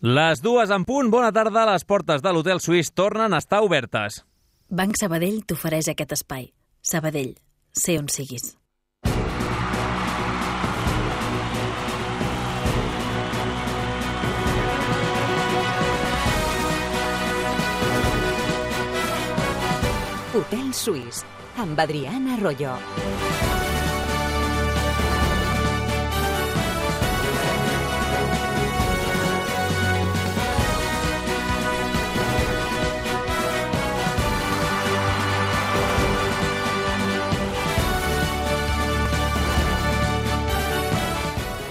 Les 2 en punt, bona tarda. Les portes de l'Hotel Suís tornen a estar obertes. Banc Sabadell t'ofereix aquest espai. Sabadell, sé on siguis. Hotel Suís, amb Adriana Arroyo.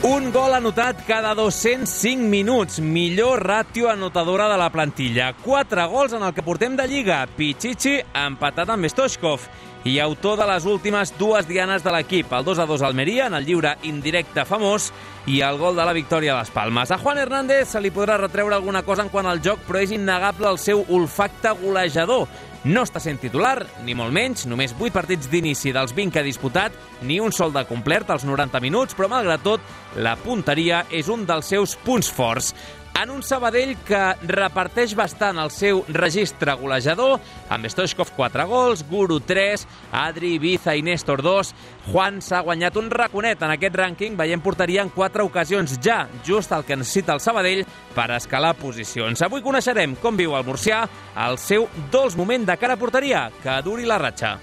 Un gol anotat cada 205 minuts. Millor ràtio anotadora de la plantilla. 4 gols en el que portem de Lliga. Pichichi empatat amb Stoichkov. I autor de les últimes 2 dianes de l'equip. El 2-2 Almeria, en el lliure indirecte famós, i el gol de la victòria a les Palmes. A Juan Hernández se li podrà retreure alguna cosa en quant al joc, però és innegable el seu olfacte golejador. No està sent titular, ni molt menys, només 8 partits d'inici dels 20 que ha disputat, ni un sol de complert als 90 minuts, però malgrat tot, la punteria és un dels seus punts forts. En un Sabadell que reparteix bastant el seu registre golejador, amb Stoichkov 4 gols, Guru 3, Adri, Ibiza i Néstor 2, Juan s'ha guanyat un raconet en aquest rànquing, veient porteria en 4 ocasions ja, just el que necessita el Sabadell per escalar posicions. Avui coneixerem com viu el murcià el seu dolç moment de cara a porteria, que duri la ratxa.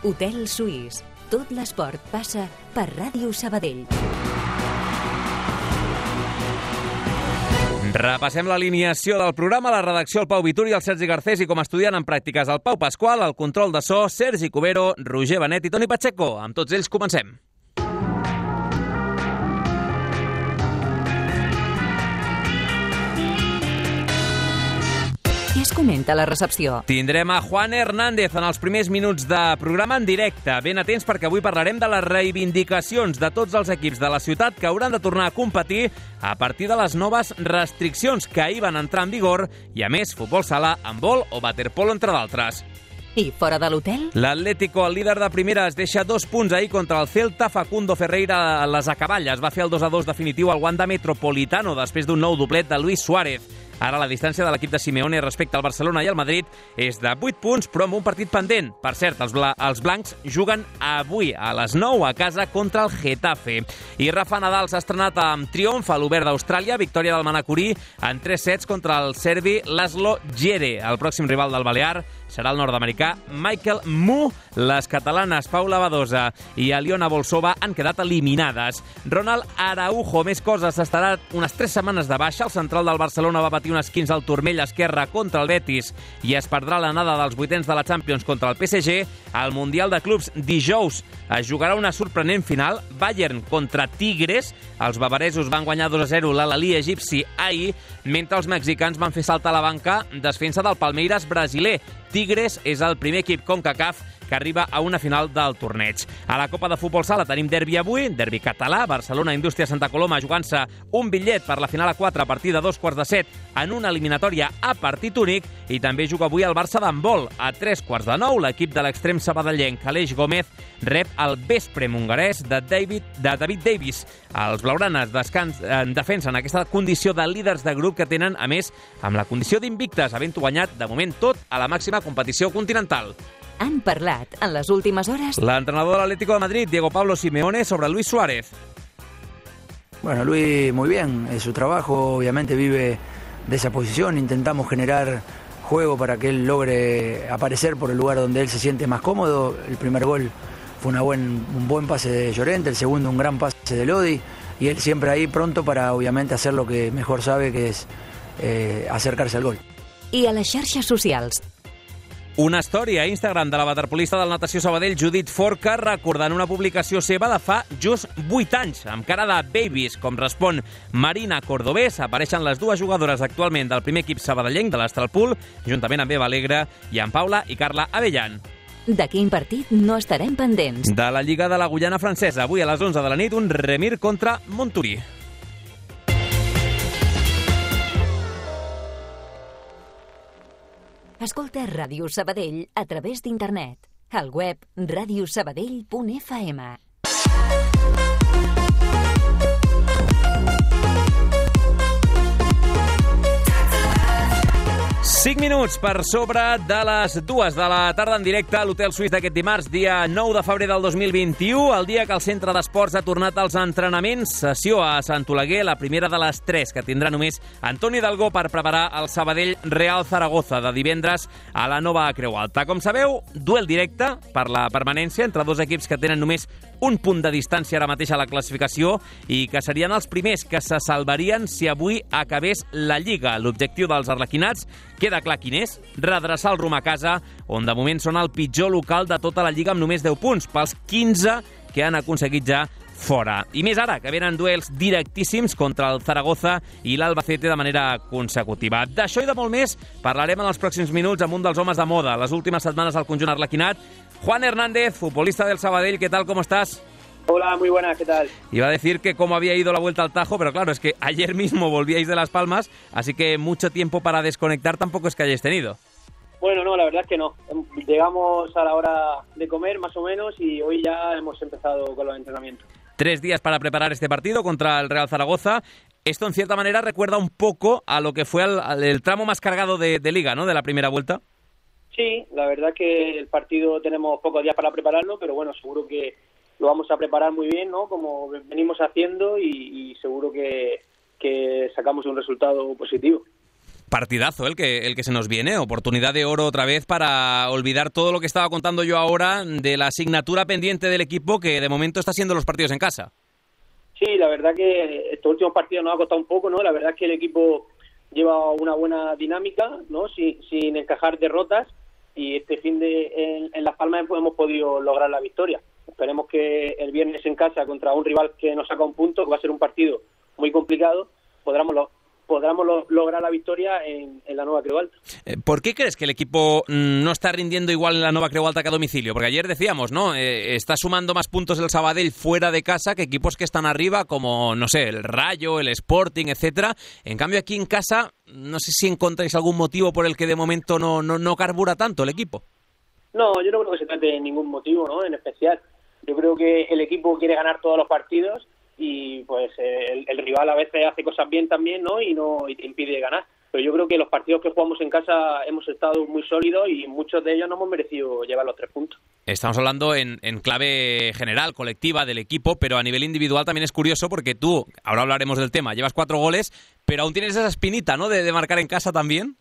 Hotel Suís, tot l'esport passa per Ràdio Sabadell. Repassem l'alineació del programa, la redacció el Pau Vituri, el Sergi Garcés i com a estudiant en pràctiques el Pau Pasqual, el control de so, Sergi Cubero, Roger Benet i Toni Pacheco. Amb tots ells comencem. Què es comenta a la recepció? Tindrem a Juan Hernández en els primers minuts de programa en directe. Ben atents perquè avui parlarem de les reivindicacions de tots els equips de la ciutat que hauran de tornar a competir a partir de les noves restriccions que ahir van entrar en vigor i, a més, futbol sala, handbol o waterpolo, entre d'altres. I fora de l'hotel? L'Atlético, el líder de primera, es deixa 2 punts ahir contra el Celta. Facundo Ferreira a les acaballes va fer el 2-2 definitiu al Wanda Metropolitano després d'un nou doblet de Luis Suárez. Ara la distància de l'equip de Simeone respecte al Barcelona i al Madrid és de 8 punts, però amb un partit pendent. Per cert, els blancs juguen avui a les 9 a casa contra el Getafe. I Rafa Nadal s'ha estrenat amb triomf a l'Obert d'Austràlia, victòria del manacorí en 3 sets contra el serbi Laszlo Djere. El pròxim rival del Balear serà el nord-americà Michael Mu. Les catalanes Paula Badosa i Aliona Volsova han quedat eliminades. Ronald Araujo, més coses, estarà unes 3 setmanes de baixa. El central del Barcelona va patir un esquinç al turmell esquerre contra el Betis i es perdrà l'anada dels vuitens de la Champions contra el PSG. Al Mundial de Clubs dijous es jugarà una sorprenent final, Bayern contra Tigres. Els bavaresos van guanyar 2-0 l'Al-Ahly egipci ahir, mentre els mexicans van fer saltar a la banca desfensa del Palmeiras brasiler. Tigres és el primer equip CONCACAF que arriba a una final del torneig. A la Copa de Futbol Sala tenim derbi avui, derbi català, Barcelona Indústria Santa Coloma jugant-se un bitllet per la final a 4 a partir de 7:15 en una eliminatòria a partit únic, i també juga avui el Barça d'handbol. A 8:45 l'equip de l'extrem sabadellenc Aleix Gómez rep el vespre hongarès de David Davis. Els blaugranes defensen aquesta condició de líders de grup que tenen, a més, amb la condició d'invictes, havent guanyat de moment tot a la màxima competició continental. Han parlat en les últimes hores l'entrenador de l'Atlético de Madrid, Diego Pablo Simeone, sobre Luis Suárez. Bueno, Luis muy bien, es su trabajo, obviamente vive de esa posición, intentamos generar juego para que él logre aparecer por el lugar donde él se siente más cómodo. El primer gol fue un buen pase de Llorente, el segundo un gran pase de Lodi, y él siempre ahí pronto para obviamente hacer lo que mejor sabe, que es acercarse al gol. I a les xarxes socials? Una història a Instagram de la waterpolista del Natació Sabadell, Judit Forca, recordant una publicació seva de fa just 8 anys, amb cara de babies, com respon Marina Cordobés. Apareixen les 2 jugadores actualment del primer equip sabadellenc de l'Astralpool, juntament amb Eva Alegre i amb Paula i Carla Avellan. De quin partit no estarem pendents? De la Lliga de la Guyana Francesa. Avui a les 11 de la nit, un Remir contra Monturí. Escolta Ràdio Sabadell a través d'internet. Al web radiosabadell.fm. 5 minuts per sobre de les 2 de la tarda en directe a l'Hotel Suís d'aquest dimarts, dia 9 de febrer del 2021, el dia que el Centre d'Esports ha tornat als entrenaments. Sessió a Sant Oleguer, la primera de les 3 que tindrà només Antoni Hidalgo per preparar el Sabadell Real Zaragoza de divendres a la nova Creu Alta. Com sabeu, duel directe per la permanència entre dos equips que tenen només un punt de distància ara mateix a la classificació i que serien els primers que se salvarien si avui acabés la Lliga. L'objectiu dels arlequinats queda clar quin és: redreçar el rumb a casa, on de moment són el pitjor local de tota la Lliga amb només 10 punts, pels 15 que han aconseguit ja fora. I més ara, que venen duels directíssims contra el Zaragoza i l'Albacete de manera consecutiva. D'això i de molt més parlarem en els pròxims minuts amb un dels homes de moda les últimes setmanes al conjunt arlequinat, Juan Hernández, futbolista del Sabadell. ¿Qué tal? ¿Cómo estás? Hola, muy buenas, ¿qué tal? Iba a decir que cómo había ido la vuelta al Tajo, pero claro, es que ayer mismo volvíais de Las Palmas, así que mucho tiempo para desconectar tampoco es que hayáis tenido. Bueno, no, la verdad es que no. Llegamos a la hora de comer, más o menos, y hoy ya hemos empezado con los entrenamientos. 3 días para preparar este partido contra el Real Zaragoza. Esto, en cierta manera, recuerda un poco a lo que fue el tramo más cargado de Liga, ¿no?, de la primera vuelta. Sí, la verdad que el partido tenemos pocos días para prepararlo, pero bueno, seguro que lo vamos a preparar muy bien, ¿no?, como venimos haciendo, y seguro que sacamos un resultado positivo. Partidazo el que se nos viene, oportunidad de oro otra vez para olvidar todo lo que estaba contando yo ahora de la asignatura pendiente del equipo, que de momento está siendo los partidos en casa. Sí, la verdad que estos últimos partidos nos ha costado un poco, ¿no? La verdad es que el equipo lleva una buena dinámica, ¿no?, sin encajar derrotas, y este fin de en Las Palmas hemos podido lograr la victoria. Esperemos que el viernes en casa contra un rival que nos saca un punto, que va a ser un partido muy complicado, podamos lograr la victoria en la nueva Creu Alta. ¿Por qué crees que el equipo no está rindiendo igual en la nueva Creu Alta que a domicilio? Porque ayer decíamos, ¿no?, está sumando más puntos el Sabadell fuera de casa que equipos que están arriba, como, no sé, el Rayo, el Sporting, etcétera. En cambio, aquí en casa, no sé si encontráis algún motivo por el que de momento no carbura tanto el equipo. No, yo no creo que se trate de ningún motivo, ¿no?, en especial. Yo creo que el equipo quiere ganar todos los partidos, y pues el rival a veces hace cosas bien también, ¿no?, y te impide ganar. Pero yo creo que los partidos que jugamos en casa hemos estado muy sólidos y muchos de ellos no hemos merecido llevar los 3 puntos. Estamos hablando en clave general, colectiva del equipo, pero a nivel individual también es curioso porque tú, ahora hablaremos del tema, llevas 4 goles, pero aún tienes esa espinita, ¿no?, de marcar en casa también.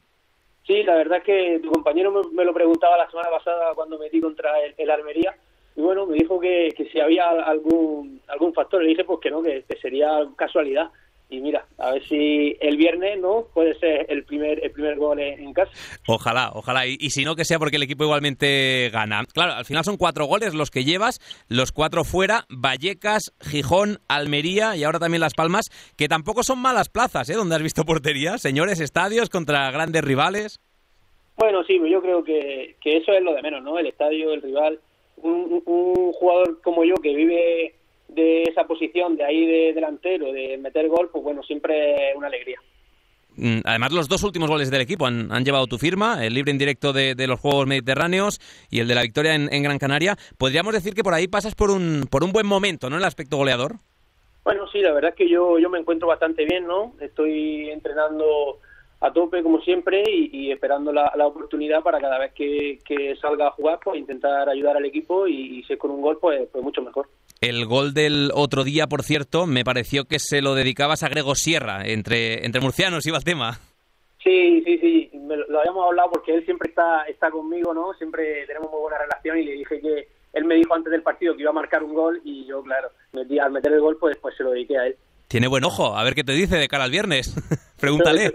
Sí, la verdad es que tu compañero me lo preguntaba la semana pasada cuando metí contra el Almería. Y bueno, me dijo que si había algún factor. Le dije pues que no, que sería casualidad. Y mira, a ver si el viernes, ¿no?, puede ser el primer gol en casa. Ojalá. Y si no, que sea porque el equipo igualmente gana. Claro, al final son 4 goles los que llevas, los 4 fuera: Vallecas, Gijón, Almería y ahora también Las Palmas, que tampoco son malas plazas, ¿eh?, donde has visto portería. Señores estadios contra grandes rivales. Bueno, sí, yo creo que eso es lo de menos, ¿no? El estadio, el rival. Un jugador como yo que vive de esa posición, de ahí de delantero, de meter gol, pues bueno, siempre es una alegría. Además, los 2 últimos goles del equipo han llevado tu firma, el libre indirecto de los Juegos Mediterráneos y el de la victoria en Gran Canaria. ¿Podríamos decir que por ahí pasas por un buen momento, ¿no?, en el aspecto goleador? Bueno, sí, la verdad es que yo me encuentro bastante bien, ¿no? Estoy entrenando a tope como siempre y esperando la oportunidad para cada vez que salga a jugar, pues intentar ayudar al equipo, y si es con un gol, pues mucho mejor. El gol del otro día, por cierto, me pareció que se lo dedicabas a Grego Sierra, entre murcianos iba el tema. Sí, lo habíamos hablado porque él siempre está conmigo, ¿no? Siempre tenemos muy buena relación, y le dije que él me dijo antes del partido que iba a marcar un gol, y yo, claro, al meter el gol, pues se lo dediqué a él. Tiene buen ojo, a ver qué te dice de cara al viernes. Pregúntale.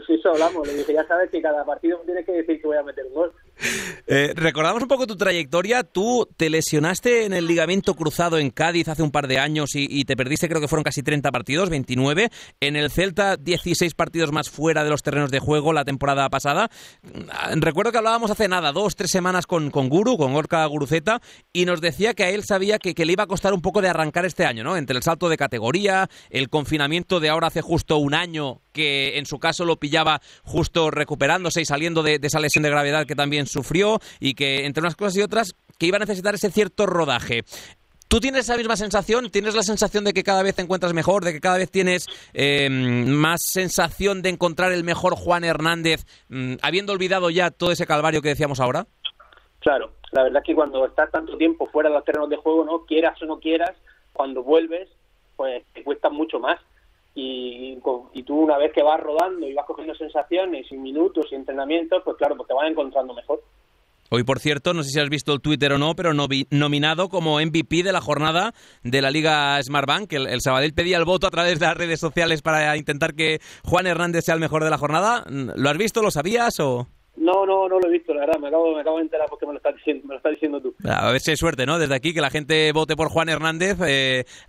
Eso hablamos, le dije, ya sabes que cada partido tienes que decir que voy a meter un gol. Recordamos un poco tu trayectoria. Tú te lesionaste en el ligamento cruzado en Cádiz hace un par de años y te perdiste, creo que fueron casi 30 partidos, 29. En el Celta, 16 partidos más fuera de los terrenos de juego la temporada pasada. Recuerdo que hablábamos hace nada, 2-3 semanas con Gorka Guruceta, y nos decía que a él sabía que le iba a costar un poco de arrancar este año, ¿no? Entre el salto de categoría, el confinamiento de ahora hace justo un año, que en su caso lo pillaba justo recuperándose y saliendo de esa lesión de gravedad que también sufrió, y que entre unas cosas y otras que iba a necesitar ese cierto rodaje. ¿Tú tienes esa misma sensación? ¿Tienes la sensación de que cada vez te encuentras mejor, de que cada vez tienes más sensación de encontrar el mejor Juan Hernández, habiendo olvidado ya todo ese calvario que decíamos ahora? Claro, la verdad es que cuando estás tanto tiempo fuera de los terrenos de juego, no quieras o no quieras, cuando vuelves, pues te cuesta mucho más. Y tú una vez que vas rodando y vas cogiendo sensaciones y minutos y entrenamientos, pues claro, pues te vas encontrando mejor. Hoy, por cierto, no sé si has visto el Twitter o no, pero nominado como MVP de la jornada de la Liga Smartbank. El Sabadell pedía el voto a través de las redes sociales para intentar que Juan Hernández sea el mejor de la jornada. ¿Lo has visto? ¿Lo sabías o...? No lo he visto, la verdad, me acabo de enterar porque me lo estás diciendo tú. A ver si hay suerte, ¿no? Desde aquí que la gente vote por Juan Hernández,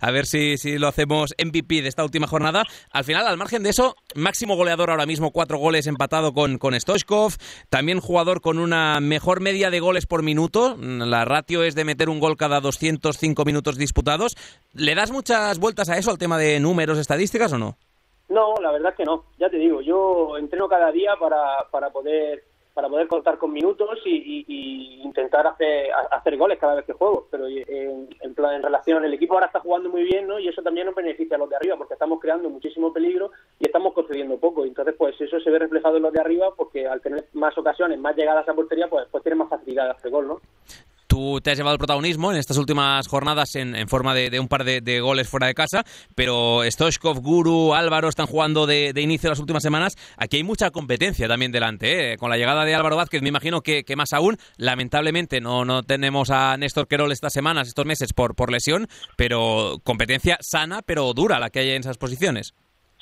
a ver si lo hacemos MVP de esta última jornada. Al final, al margen de eso, máximo goleador ahora mismo, 4 goles empatado con Stoichkov, también jugador con una mejor media de goles por minuto, la ratio es de meter un gol cada 205 minutos disputados. ¿Le das muchas vueltas a eso, al tema de números, estadísticas o no? No, la verdad es que no, ya te digo, yo entreno cada día para poder contar con minutos y intentar hacer goles cada vez que juego, pero en relación, el equipo ahora está jugando muy bien, ¿no? Y eso también nos beneficia a los de arriba, porque estamos creando muchísimo peligro y estamos concediendo poco, y entonces pues eso se ve reflejado en los de arriba, porque al tener más ocasiones, más llegadas a portería, pues tiene más facilidad de hacer gol, ¿no? Tú te has llevado el protagonismo en estas últimas jornadas en forma de un par de goles fuera de casa, pero Stoichkov, Guru, Álvaro están jugando de inicio las últimas semanas. Aquí hay mucha competencia también delante, ¿eh? Con la llegada de Álvaro Vázquez, me imagino que más aún. Lamentablemente no tenemos a Néstor Querol estas semanas, estos meses, por lesión, pero competencia sana, pero dura la que hay en esas posiciones.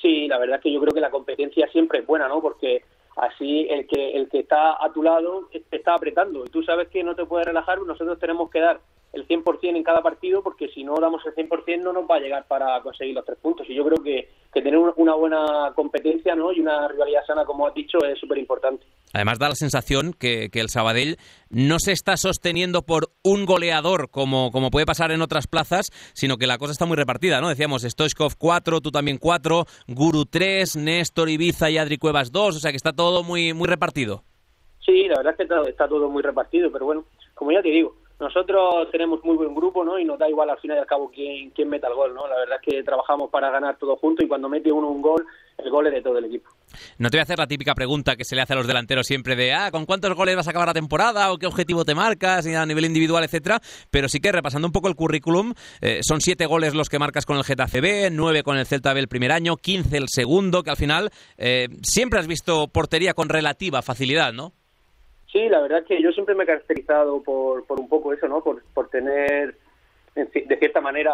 Sí, la verdad es que yo creo que la competencia siempre es buena, ¿no? Porque así el que está a tu lado te está apretando y tú sabes que no te puedes relajar. Nosotros tenemos que dar el 100% en cada partido, porque si no damos el 100% no nos va a llegar para conseguir los 3 puntos, y yo creo que tener una buena competencia, ¿no? Y una rivalidad sana, como has dicho, es súper importante. Además da la sensación que el Sabadell no se está sosteniendo por un goleador como puede pasar en otras plazas, sino que la cosa está muy repartida, ¿no? Decíamos, Stoichkov 4, tú también 4, Guru 3, Néstor, Ibiza y Adri Cuevas 2, o sea que está todo muy repartido. Sí, la verdad es que está todo muy repartido, pero bueno, como ya te digo, nosotros tenemos muy buen grupo, ¿no? Y nos da igual al final y al cabo quién meta el gol, ¿no? La verdad es que trabajamos para ganar todos juntos, y cuando mete uno un gol, el gol es de todo el equipo. No te voy a hacer la típica pregunta que se le hace a los delanteros siempre de ¿con cuántos goles vas a acabar la temporada? ¿O qué objetivo te marcas? Y a nivel individual, etcétera. Pero sí que, repasando un poco el currículum, son 7 goles los que marcas con el Getafe B, 9 con el Celta B el primer año, 15 el segundo, que al final siempre has visto portería con relativa facilidad, ¿no? Sí, la verdad es que yo siempre me he caracterizado por un poco eso, ¿no? Por tener, de cierta manera,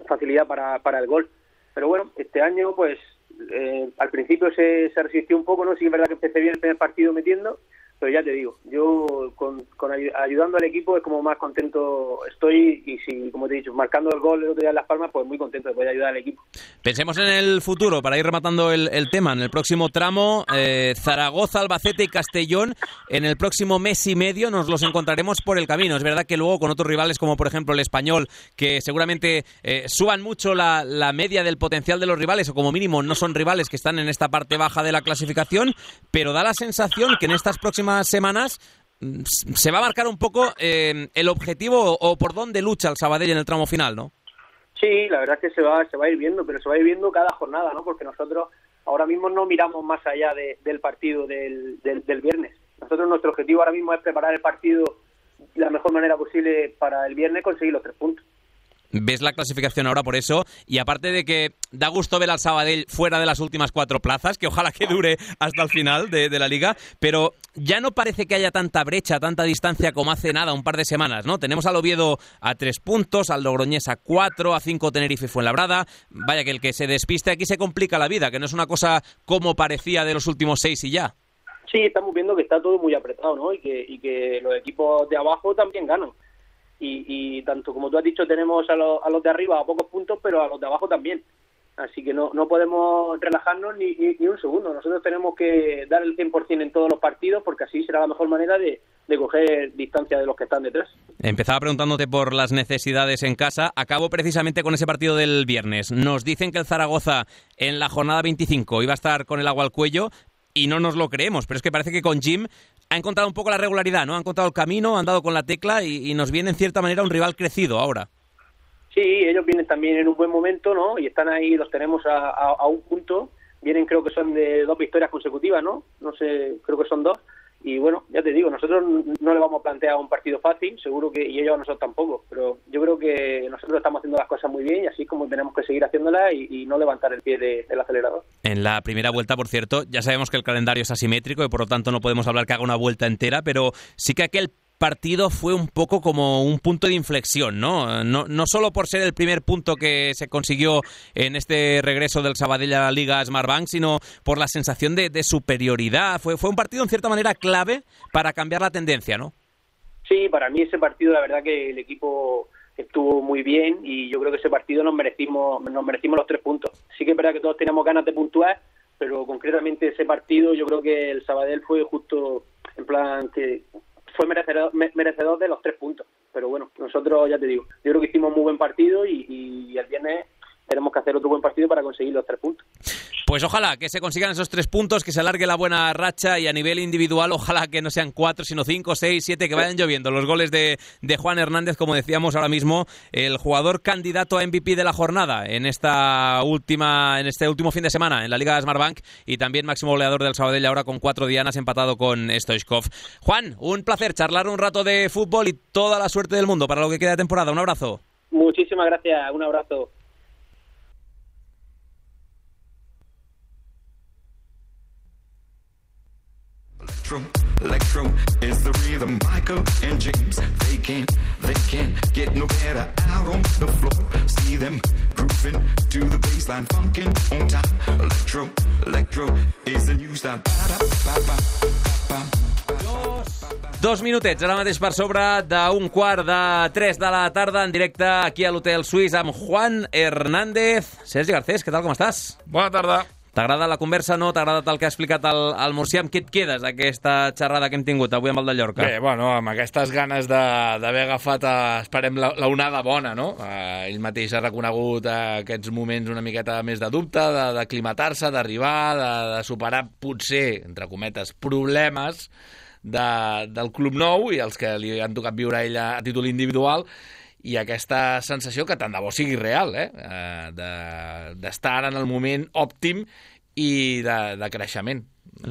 facilidad para el gol. Pero bueno, este año, pues, al principio se resistió un poco, ¿no? Sí, es verdad que empecé bien el primer partido metiendo, pero ya te digo, yo ayudando al equipo es como más contento estoy, y si, como te he dicho, marcando el gol el otro día en Las Palmas, pues muy contento de poder ayudar al equipo. Pensemos en el futuro, para ir rematando el tema, en el próximo tramo, Zaragoza, Albacete y Castellón, en el próximo mes y medio nos los encontraremos por el camino. Es verdad que luego con otros rivales como por ejemplo el Español, que seguramente suban mucho la media del potencial de los rivales, o como mínimo no son rivales que están en esta parte baja de la clasificación, pero da la sensación que en estas próximas semanas se va a marcar un poco el objetivo o por dónde lucha el Sabadell en el tramo final, ¿no? Sí, la verdad es que se va a ir viendo, pero se va a ir viendo cada jornada, ¿no? Porque nosotros ahora mismo no miramos más allá del partido del viernes. Nosotros, nuestro objetivo ahora mismo es preparar el partido de la mejor manera posible para el viernes, conseguir los 3 puntos. Ves la clasificación ahora por eso, y aparte de que da gusto ver al Sabadell fuera de las últimas 4 plazas, que ojalá que dure hasta el final de la Liga, pero ya no parece que haya tanta brecha, tanta distancia como hace nada, un par de semanas, ¿no? Tenemos al Oviedo a 3 puntos, al Logroñés a 4, a 5 Tenerife y Fuenlabrada. Vaya que el que se despiste aquí se complica la vida, que no es una cosa como parecía de los últimos 6 y ya. Sí, estamos viendo que está todo muy apretado, ¿no? Y que los equipos de abajo también ganan. Y tanto como tú has dicho, tenemos a los de arriba a pocos puntos, pero a los de abajo también. Así que no podemos relajarnos ni un segundo. Nosotros tenemos que dar el 100% en todos los partidos, porque así será la mejor manera de coger distancia de los que están detrás. Empezaba preguntándote por las necesidades en casa. Acabo precisamente con ese partido del viernes. Nos dicen que el Zaragoza en la jornada 25 iba a estar con el agua al cuello. y no nos lo creemos, pero es que parece que con Jim ha encontrado un poco la regularidad, ¿no? Ha encontrado el camino, han dado con la tecla y nos viene en cierta manera un rival crecido ahora. Sí, ellos vienen también en un buen momento, ¿no? Y están ahí, los tenemos a un punto. Vienen, creo que son de 2 victorias consecutivas, ¿no? No sé, creo que son 2. Y bueno, ya te digo, nosotros no le vamos a plantear un partido fácil, seguro que, y ellos a nosotros tampoco, pero yo creo que nosotros estamos haciendo las cosas muy bien y así como tenemos que seguir haciéndolas y no levantar el pie del acelerador. En la primera vuelta, por cierto, ya sabemos que el calendario es asimétrico y por lo tanto no podemos hablar que haga una vuelta entera, pero sí que aquel partido fue un poco como un punto de inflexión, ¿no? No solo por ser el primer punto que se consiguió en este regreso del Sabadell a la Liga Smartbank, sino por la sensación de superioridad. Fue un partido en cierta manera clave para cambiar la tendencia, ¿no? Sí, para mí ese partido, la verdad que el equipo estuvo muy bien y yo creo que ese partido nos merecimos los 3 puntos. Sí que es verdad que todos teníamos ganas de puntuar, pero concretamente ese partido yo creo que el Sabadell fue justo en plan que fue merecedor de los 3 puntos, pero bueno, nosotros ya te digo, yo creo que hicimos muy buen partido y el viernes tenemos que hacer otro buen partido para conseguir los 3 puntos. Pues ojalá que se consigan esos 3 puntos, que se alargue la buena racha y a nivel individual ojalá que no sean 4 sino 5, 6, 7, que vayan lloviendo los goles de Juan Hernández, como decíamos ahora mismo, el jugador candidato a MVP de la jornada en este último fin de semana en la Liga Smartbank y también máximo goleador del Sabadell ahora con 4 dianas empatado con Stoichkov. Juan, un placer charlar un rato de fútbol y toda la suerte del mundo para lo que queda de temporada. Un abrazo. Muchísimas gracias, un abrazo. Electro is the rhythm. Michael and James, they can't get no better out on the floor. See them grooving to the baseline, funkin' on time. Electro is the new style. 2 minutets, ara mateix per sobre d'un 2:45 de la tarda en directe aquí a l'Hotel Suís amb Juan Hernández. Sergi Garcés, què tal, com estàs? Bona tarda. T'agrada la conversa, no? T'ha agradat el que ha explicat el Murcià? Amb què et quedes d'aquesta xerrada que hem tingut avui amb el de Llorca? Bé, bueno, amb aquestes ganes d'haver agafat, esperem, la onada bona, no? Ell mateix ha reconegut aquests moments una miqueta més de dubte, d'aclimatar-se, d'arribar, de superar, potser, entre cometes, problemes del club nou i els que li han tocat viure a ell a títol individual, i aquesta sensació que tant de bo sigui real, d'estar en el moment òptim i de creixement.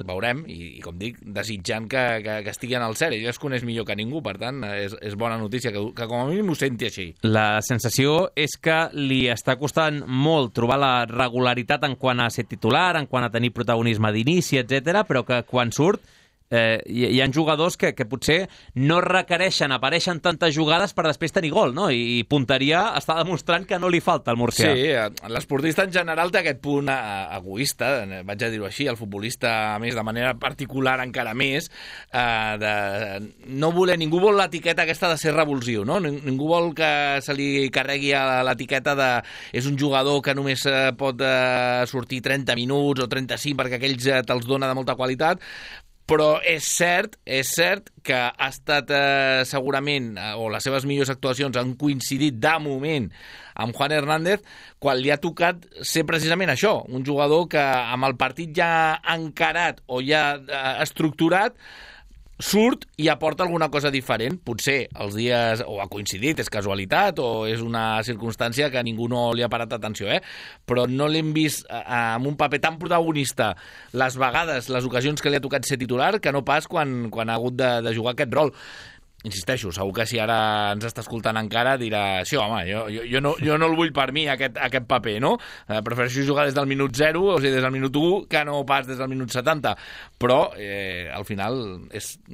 Veurem, i com dic, desitjant que estigui en el cert. Ell es coneix millor que ningú, per tant, és bona notícia que com a mínim ho senti així. La sensació és que li està costant molt trobar la regularitat en quant a ser titular, en quant a tenir protagonisme d'inici, etc., però que quan surt hi ha jugadors que potser no requereixen, apareixen tantes jugades per després tenir gol, no? I punteria està demostrant que no li falta al Murcià. Sí, l'esportista en general té aquest punt egoista, vaig a dir-ho així, el futbolista, a més, de manera particular encara més, de no voler, ningú vol l'etiqueta aquesta de ser revulsiu, no? Ningú vol que se li carregui l'etiqueta de és un jugador que només pot sortir 30 minuts o 35 perquè aquells te'ls dona de molta qualitat. Però és cert que ha estat segurament, o les seves millors actuacions han coincidit de moment amb Juan Hernández, quan li ha tocat ser precisament això, un jugador que amb el partit ja encarat o ja estructurat surt i aporta alguna cosa diferent. Potser els dies o ha coincidit, és casualitat o és una circumstància que ningú no li ha parat atenció, però no l'hem vist amb un paper tan protagonista les vegades, les ocasions que li ha tocat ser titular, que no pas quan ha hagut de jugar aquest rol. Insisteixo, segur que si ara ens està escoltant encara dirà, sí, home, jo no el vull per mi, aquest paper, no? Prefereixo jugar des del minut 0, o sigui, des del minut 1, que no pas des del minut 70. Però, al final,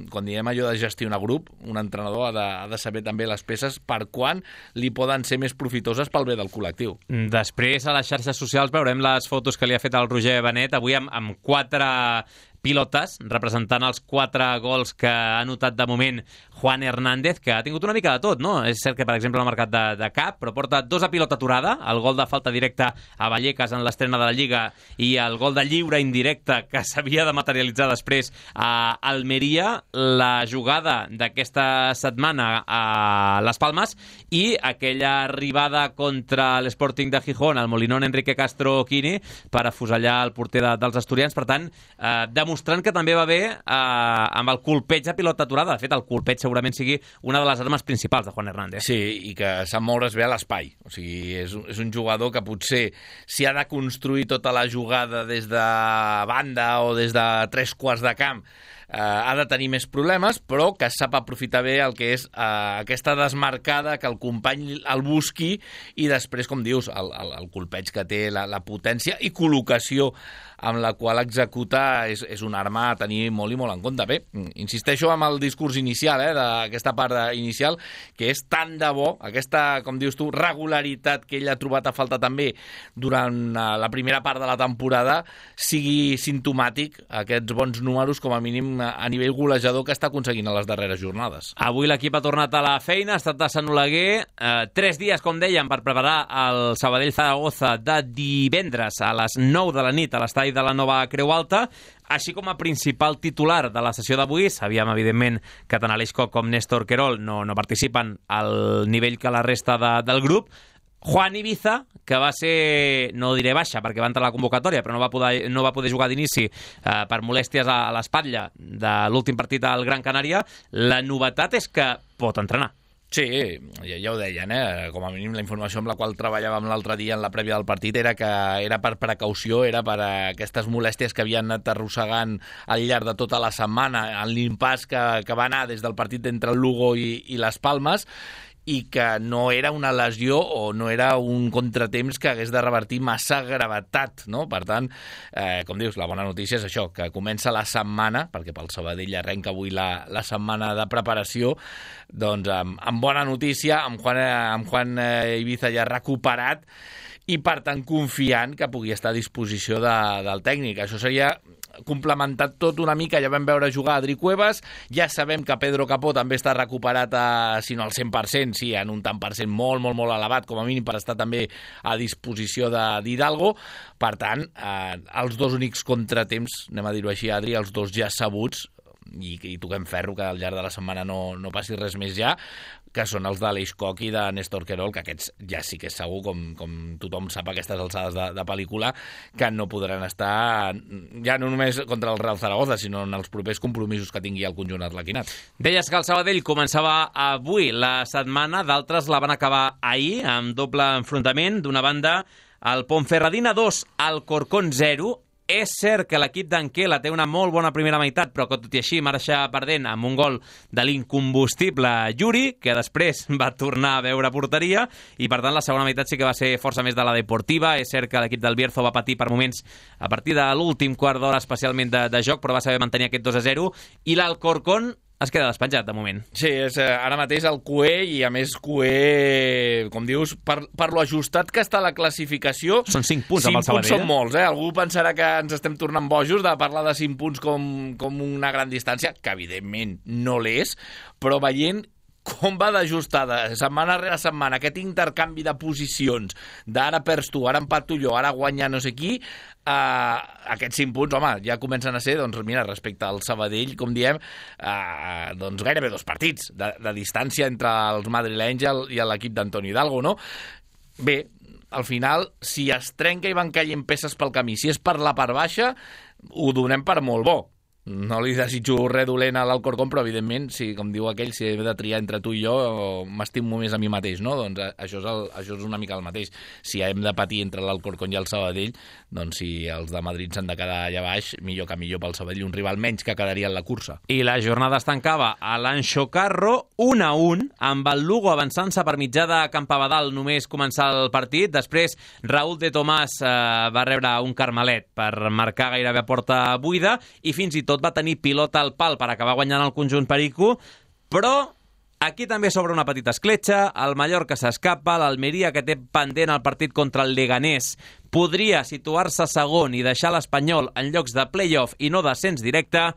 quan diem allò de gestionar grup, un entrenador ha de saber també les peces per quan li poden ser més profitoses pel bé del col·lectiu. Després, a les xarxes socials, veurem les fotos que li ha fet el Roger Benet, avui amb 4 pilotes, representant els 4 gols que ha anotat de moment Juan Hernández, que ha tingut una mica de tot, no? És cert que, per exemple, no ha marcat de cap, però porta 2 a pilota aturada, el gol de falta directa a Vallecas en l'estrena de la Lliga i el gol de lliure indirecte que s'havia de materialitzar després a Almeria, la jugada d'aquesta setmana a Les Palmes i aquella arribada contra l'Sporting de Gijón, al Molinón Enrique Castro Quini, per afusellar el porter dels asturians. Per tant, de demostrant que també va bé amb el colpeig a pilota aturada. De fet, el colpeig segurament sigui una de les armes principals de Juan Hernández. Sí, i que sap moure's bé a l'espai. O sigui, és un jugador que potser si ha de construir tota la jugada des de banda o des de 3/4 de camp, ha de tenir més problemes, però que sap aprofitar bé el que és aquesta desmarcada, que el company el busqui i després, com dius, el colpeig que té, la potència i col·locació amb la qual executa és una arma a tenir molt i molt en compte. Bé, insisteixo amb el discurs inicial, d'aquesta part inicial, que és tant de bo, aquesta, com dius tu, regularitat que ell ha trobat a falta també durant la primera part de la temporada, sigui simptomàtic aquests bons números, com a mínim a nivell golejador, que està aconseguint a les darreres jornades. Avui l'equip ha tornat a la feina, ha estat a Sant Oleguer, 3 dies, com dèiem, per preparar el Sabadell-Zaragoza de divendres a les 9 de la nit a l'estadi de la Nova Creu Alta, així com a principal titular de la sessió d'avui. Sabíem, evidentment, que tant Aleix Koch com Néstor Querol no participen al nivell que la resta del grup. Juan Ibiza, que va ser, no diré baixa, perquè va entrar a la convocatòria, però no va poder jugar d'inici per molèsties a l'espatlla de l'últim partit al Gran Canària. La novetat és que pot entrenar. Sí, ja ho deien, com a mínim la informació amb la qual treballàvem l'altre dia en la prèvia del partit era que era per precaució, era per aquestes molèsties que havien anat arrossegant al llarg de tota la setmana, en l'impàs que va anar des del partit entre el Lugo i les Palmes, i que no era una lesió o no era un contratemps que hagués de revertir massa gravetat, no? Per tant, com dius, la bona notícia és això, que comença la setmana, perquè pel Sabadell arrenca avui la setmana de preparació, doncs amb bona notícia, amb Juan Ibiza ja recuperat, i per tant confiant que pugui estar a disposició del tècnic. Això seria complementat tot una mica. Ja vam veure jugar Adri Cuevas, ja sabem que Pedro Capó també està recuperat si no al 100%, sí, en un tant per cent molt, molt, molt elevat, com a mínim per estar també a disposició d'Hidalgo. Per tant, els dos únics contratemps, anem a dir-ho així, Adri, els dos ja sabuts, i toquem ferro que al llarg de la setmana no passi res més ja, que són els d'Aleix Koch i de Néstor Querol, que aquests ja sí que és segur, com tothom sap a aquestes alçades de pel·lícula, que no podran estar ja no només contra el Real Zaragoza, sinó en els propers compromisos que tingui el conjunt arlequinat. Deies que el Sabadell començava avui la setmana, d'altres la van acabar ahir, amb doble enfrontament. D'una banda, el Ponferradina 2, Alcorcón 0. És cert que l'equip d'Anquela té una molt bona primera meitat, però que tot i així marxa perdent amb un gol de l'incombustible Yuri, que després va tornar a veure porteria, i per tant la segona meitat sí que va ser força més de la Deportiva. És cert que l'equip del Bierzo va patir per moments a partir de l'últim quart d'hora especialment de joc, però va saber mantenir aquest 2-0, i l'Alcorcón es queda despenjat, de moment. Sí, és ara mateix el Cué, i a més Cué, com dius, per lo ajustat que està la classificació... Són 5 punts amb el Sabadell. 5 punts són molts, Algú pensarà que ens estem tornant bojos de parlar de 5 punts com una gran distància, que evidentment no l'és, però veient com va d'ajustada setmana rere setmana aquest intercanvi de posicions, d'ara perds tu, ara empato jo, ara guanya no sé qui, aquests 5 punts, home, ja comencen a ser, doncs mira, respecte al Sabadell, com diem, doncs gairebé 2 partits de distància entre els madrilenys i l'equip d'Antonio Hidalgo, no? Bé, al final, si es trenca i van caient peces pel camí, si és per la part baixa, ho donem per molt bo. No li desitjo res dolent a l'Alcorcón, però evidentment, si, com diu aquell, si he de triar entre tu i jo, m'estimo més a mi mateix, no? Doncs això és una mica el mateix. Si hem de patir entre l'Alcorcón i el Sabadell, doncs si els de Madrid s'han de quedar allà baix, millor que millor pel Sabadell, un rival menys que quedaria en la cursa. I la jornada es tancava a l'Anxo Carro 1-1, amb el Lugo avançant-se per mitjà de Campabadal només començar el partit. Després, Raúl de Tomàs va rebre un carmelet per marcar gairebé a porta buida, i fins i tot va tenir pilota al pal per acabar guanyant el conjunt perico, però aquí també s'obre una petita escletxa. El Mallorca s'escapa, l'Almeria, que té pendent el partit contra el Leganés, podria situar-se segon i deixar l'Espanyol en llocs de play-off i no descens directe.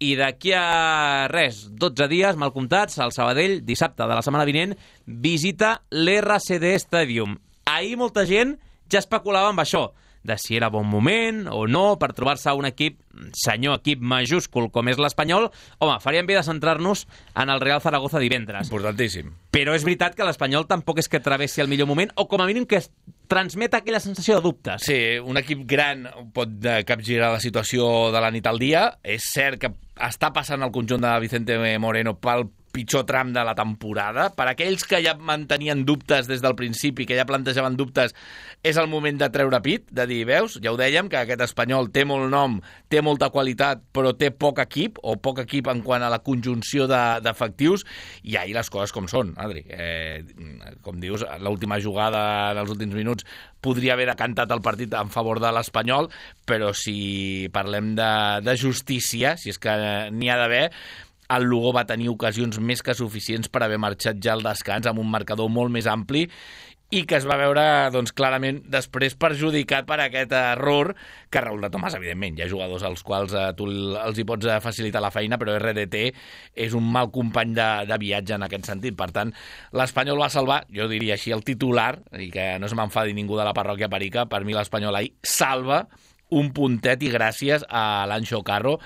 I d'aquí a 12 dies, mal comptats, el Sabadell, dissabte de la setmana vinent, visita l'RCD Stadium. Ahir molta gent ja especulava amb això, de si era bon moment o no per trobar-se un equip, senyor equip majúscul com és l'Espanyol. Home, faríem bé de centrar-nos en el Real Zaragoza divendres. Importantíssim. Però és veritat que l'Espanyol tampoc és que travessi el millor moment, o com a mínim que transmet aquella sensació de dubtes. Sí, un equip gran pot capgirar la situació de la nit al dia. És cert que està passant el conjunt de Vicente Moreno pel pitjor tram de la temporada. Per aquells que ja mantenien dubtes des del principi, que ja plantejaven dubtes, és el moment de treure pit, de dir, veus, ja ho dèiem, que aquest Espanyol té molt nom, té molta qualitat, però té poc equip, o poc equip en quant a la conjunció d'efectius, i ahir les coses com són, Adri. Com dius, l'última jugada dels últims minuts podria haver decantat el partit en favor de l'Espanyol, però si parlem de justícia, si és que n'hi ha d'haver, el Lugo va tenir ocasions més que suficients per haver marxat ja al descans amb un marcador molt més ampli i que es va veure doncs, clarament després perjudicat per aquest error que Raúl de Tomàs, evidentment. Hi ha jugadors als quals tu els hi pots facilitar la feina, però RDT és un mal company de viatge en aquest sentit. Per tant, l'Espanyol va salvar, jo diria així, el titular, i que no se m'enfadi ningú de la parròquia Perica, per mi l'Espanyol ahir salva un puntet i gràcies a l'Anxo Carro.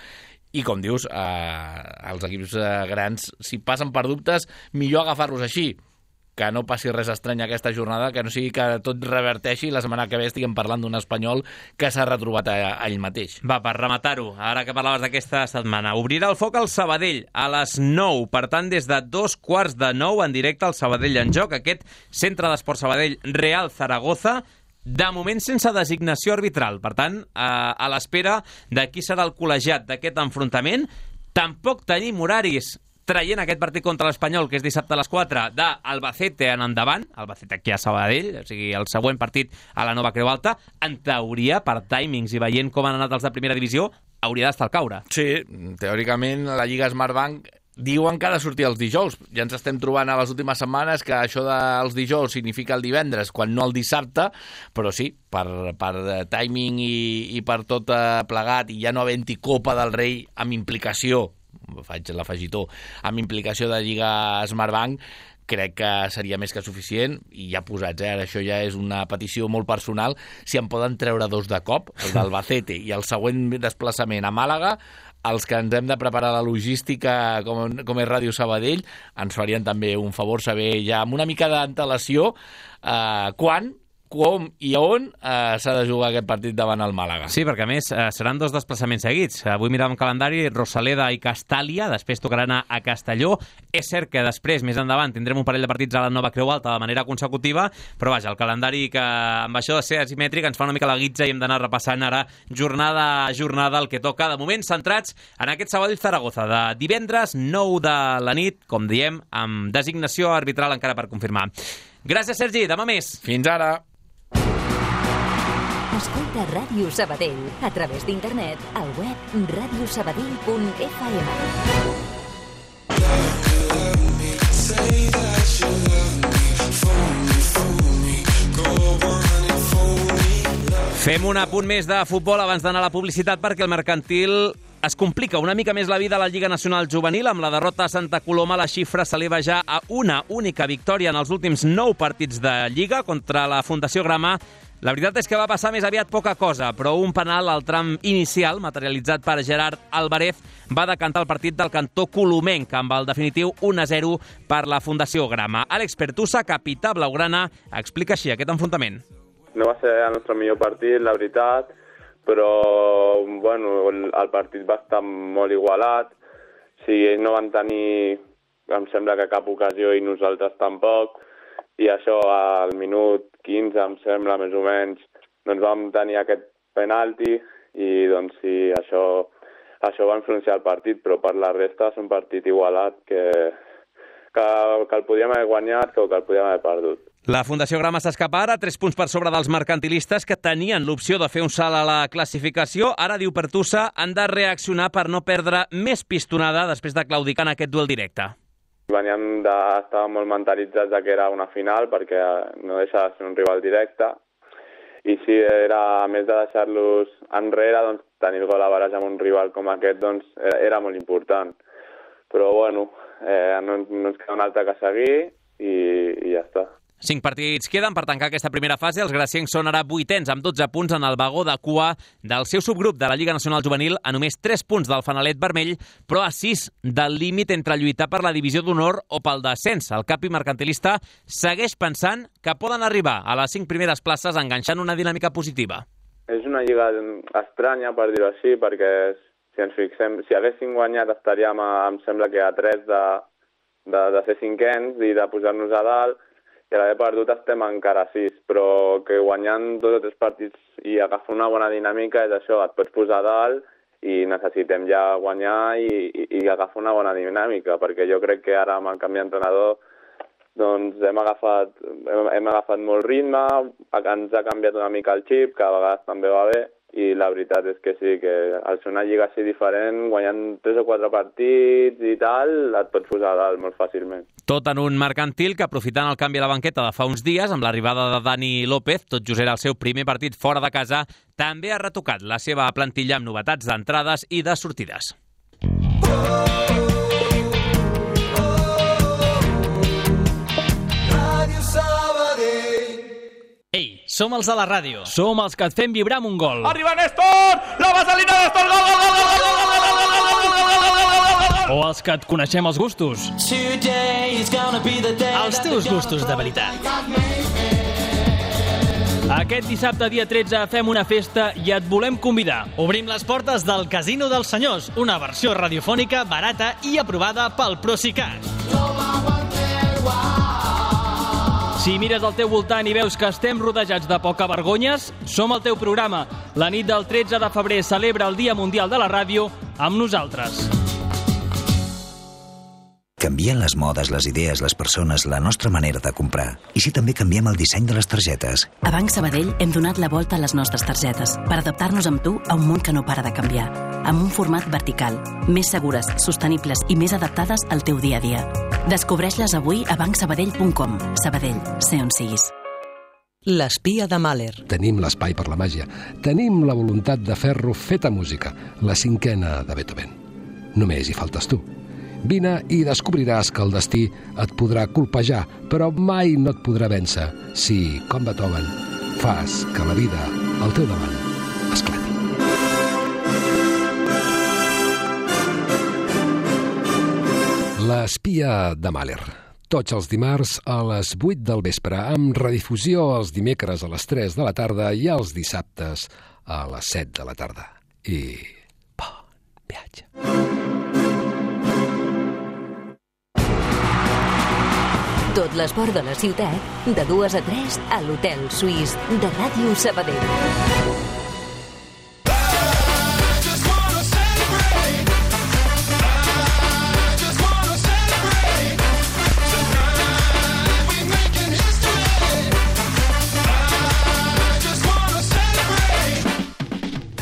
I, com dius, els equips grans, si passen per dubtes, millor agafar-los així, que no passi res estrany aquesta jornada, que no sigui que tot reverteixi i la setmana que ve estiguem parlant d'un Espanyol que s'ha retrobat a ell mateix. Va, per rematar-ho, ara que parlaves d'aquesta setmana, obrirà el foc al Sabadell a les 9, per tant, des de 8:45 en directe al Sabadell en joc, aquest Centre d'Esport Sabadell Real Zaragoza, de moment sense designació arbitral. Per tant, a l'espera de qui serà el col·legiat d'aquest enfrontament. Tampoc tenim horaris traient aquest partit contra l'Espanyol, que és dissabte a les 4, d'Albacete en endavant, Albacete aquí a Sabadell, o sigui, el següent partit a la nova Creu Alta. En teoria, per timings i veient com han anat els de primera divisió, hauria d'estar al caure. Sí, teòricament la Lliga Smartbank diuen que ha de sortir els dijous. Ja ens estem trobant a les últimes setmanes que això dels dijous significa el divendres, quan no el dissabte, però sí, per timing i per tot plegat, i ja no havent-hi Copa del Rei amb implicació, faig l'afegitó, amb implicació de Lliga Smartbank, crec que seria més que suficient, i ja posats, ara això ja és una petició molt personal, si en poden treure dos de cop, el d'Albacete i el següent desplaçament a Màlaga, els que ens hem de preparar la logística com és Ràdio Sabadell, ens farien també un favor saber ja amb una mica d'antelació quan, com i on s'ha de jugar aquest partit davant el Màlaga. Sí, perquè a més seran dos desplaçaments seguits. Avui miràvem calendari, Rosaleda i Castàlia, després tocarà anar a Castelló. És cert que després, més endavant, tindrem un parell de partits a la nova Creu Alta de manera consecutiva, però vaja, el calendari que amb això de ser asimètric ens fa una mica la guitza i hem d'anar repassant ara jornada a jornada el que toca. De moment, centrats en aquest Sabadell Zaragoza de divendres, 9 de la nit, com diem, amb designació arbitral encara per confirmar. Gràcies, Sergi. Demà més. Fins ara. Escolta Ràdio Sabadell a través d'internet al web radiosabadell.fm. Fem un apunt més de futbol abans d'anar a la publicitat, perquè el Mercantil es complica una mica més la vida a la Lliga Nacional Juvenil. Amb la derrota a Santa Coloma, la xifra s'eleva ja a una única victòria en els últims 9 partits de Lliga contra la Fundació Grama. La veritat és que va passar més aviat poca cosa, però un penal al tram inicial, materialitzat per Gerard Álvarez, va decantar el partit del cantó colomenc, amb el definitiu 1-0 per la Fundació Grama. Àlex Pertusa, capità blaugrana, explica així aquest enfrontament. No va ser el nostre millor partit, la veritat, però bueno, el partit va estar molt igualat. Sí, ells no van tenir, em sembla que cap ocasió, i nosaltres tampoc. I això al minut 15, em sembla, més o menys, doncs vam tenir aquest penalti i doncs sí, això va influenciar el partit, però per la resta és un partit igualat que el podíem haver guanyat o que el podíem haver perdut. La Fundació Grama s'escapa ara 3 punts per sobre dels mercantilistes, que tenien l'opció de fer un salt a la classificació. Ara, diu Pertusa, han de reaccionar per no perdre més pistonada després de claudicar en aquest duel directe. Veníem d'estar molt mentalitzats que era una final, perquè no deixa de ser un rival directe. I si era, a més de deixar-los enrere, doncs, tenir el gol a barrage amb un rival com aquest doncs, era molt important. Però bueno, no ens queda un altre que seguir i ja està. 5 partits queden per tancar aquesta primera fase. Els graciencs són ara 8ens amb 12 punts en el vagó de cua del seu subgrup de la Lliga Nacional Juvenil, a només 3 punts del fanalet vermell, però a 6 del límit entre lluitar per la divisió d'honor o pel descens. El capi mercantilista segueix pensant que poden arribar a les 5 primeres places enganxant una dinàmica positiva. És una lliga estranya, per dir-ho així, perquè si ens fixem, si haguéssim guanyat estaríem, em sembla que a 3 de ser 5ens i de posar-nos a dalt, i a l'haver perdut estem encara a 6, però que guanyant 2 o 3 partits i agafar una bona dinàmica és això, et pots posar a dalt i necessitem ja guanyar i agafar una bona dinàmica, perquè jo crec que ara amb el canvi d'entrenador doncs hem agafat molt ritme, ens ha canviat una mica el xip, que a vegades també va bé, i la veritat és que sí, que al ser una lliga així diferent, guanyant 3 o 4 partits i tal, et pots posar a dalt molt fàcilment. Tot en un mercantil que, aprofitant el canvi a la banqueta de fa uns dies, amb l'arribada de Dani López, tot just era el seu primer partit fora de casa, també ha retocat la seva plantilla amb novetats d'entrades i de sortides. Ei, som els de la ràdio. Som els que et fem vibrar amb un gol. Arriba Néstor! La vaselina Néstor! Gol, gol, gol, gol, gol, gol, gol, gol, gol, gol! O els que et coneixem els gustos. Els teus gustos de veritat. Aquest dissabte, dia 13, fem una festa i et volem convidar. Obrim les portes del Casino dels Senyors, una versió radiofònica barata i aprovada pel Procicat. Si mires al teu voltant i veus que estem rodejats de poca vergonyes, som el teu programa. La nit del 13 de febrer celebra el Dia Mundial de la Ràdio amb nosaltres. Canvien les modes, les idees, les persones, la nostra manera de comprar. I si també canviem el disseny de les targetes? A Banc Sabadell hem donat la volta a les nostres targetes per adaptar-nos amb tu a un món que no para de canviar. Amb un format vertical, més segures, sostenibles i més adaptades al teu dia a dia. Descobreix-les avui a bancsabadell.com. Sabadell, sé on siguis. L'espia de Mahler. Tenim l'espai per la màgia. Tenim la voluntat de fer-lo feta música, la 5a de Beethoven. Només hi faltes tu. Vine i descobriràs que el destí et podrà colpejar, però mai no et podrà vèncer si, com Beethoven, fas que la vida al teu davant esclati. L'espia de Mahler. Tots els dimarts a les 8 del vespre, amb redifusió els dimecres a les 3 de la tarda i els dissabtes a les 7 de la tarda. I bon viatge. Tot l'esport de la ciutat, de 2 a 3 a l'Hotel Suís de Ràdio Sabadell.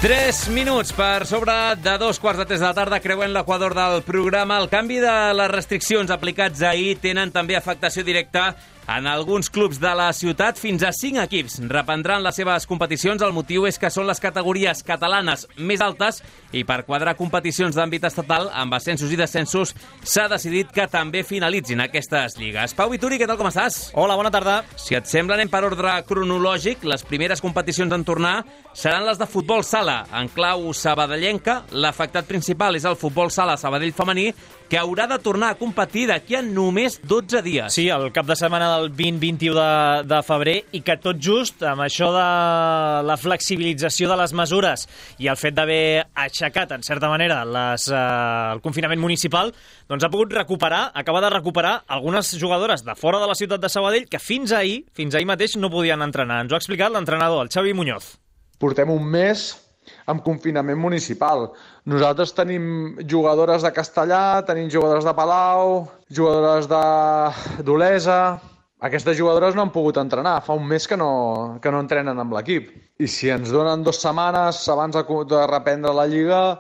Tres minuts per sobre de 2:15 de la tarda, creuent l'equador del programa. El canvi de les restriccions aplicats ahir tenen també afectació directa en alguns clubs de la ciutat. Fins a 5 equips reprendran les seves competicions. El motiu és que són les categories catalanes més altes i per quadrar competicions d'àmbit estatal amb ascensos i descensos s'ha decidit que també finalitzin aquestes lligues. Pau Vituri, què tal, com estàs? Hola, bona tarda. Si et sembla, anem per ordre cronològic. Les primeres competicions en tornar seran les de futbol sala, en clau sabadellenca. L'afectat principal és el futbol sala Sabadell femení, que haurà de tornar a competir d'aquí a només 12 dies. Sí, el cap de setmana del 20-21 de febrer, i que tot just amb això de la flexibilització de les mesures i el fet d'haver aixecat, en certa manera, el confinament municipal, doncs ha pogut acabar de recuperar algunes jugadores de fora de la ciutat de Sabadell que fins ahir mateix no podien entrenar. Ens ho ha explicat l'entrenador, el Xavi Muñoz. Portem un mes amb confinament municipal. Nosaltres tenim jugadores de Castellà, tenim jugadores de Palau, jugadores d'Olesa. Aquestes jugadores no han pogut entrenar. Fa un mes que no entrenen amb l'equip. I si ens donen 2 setmanes abans de reprendre la Lliga,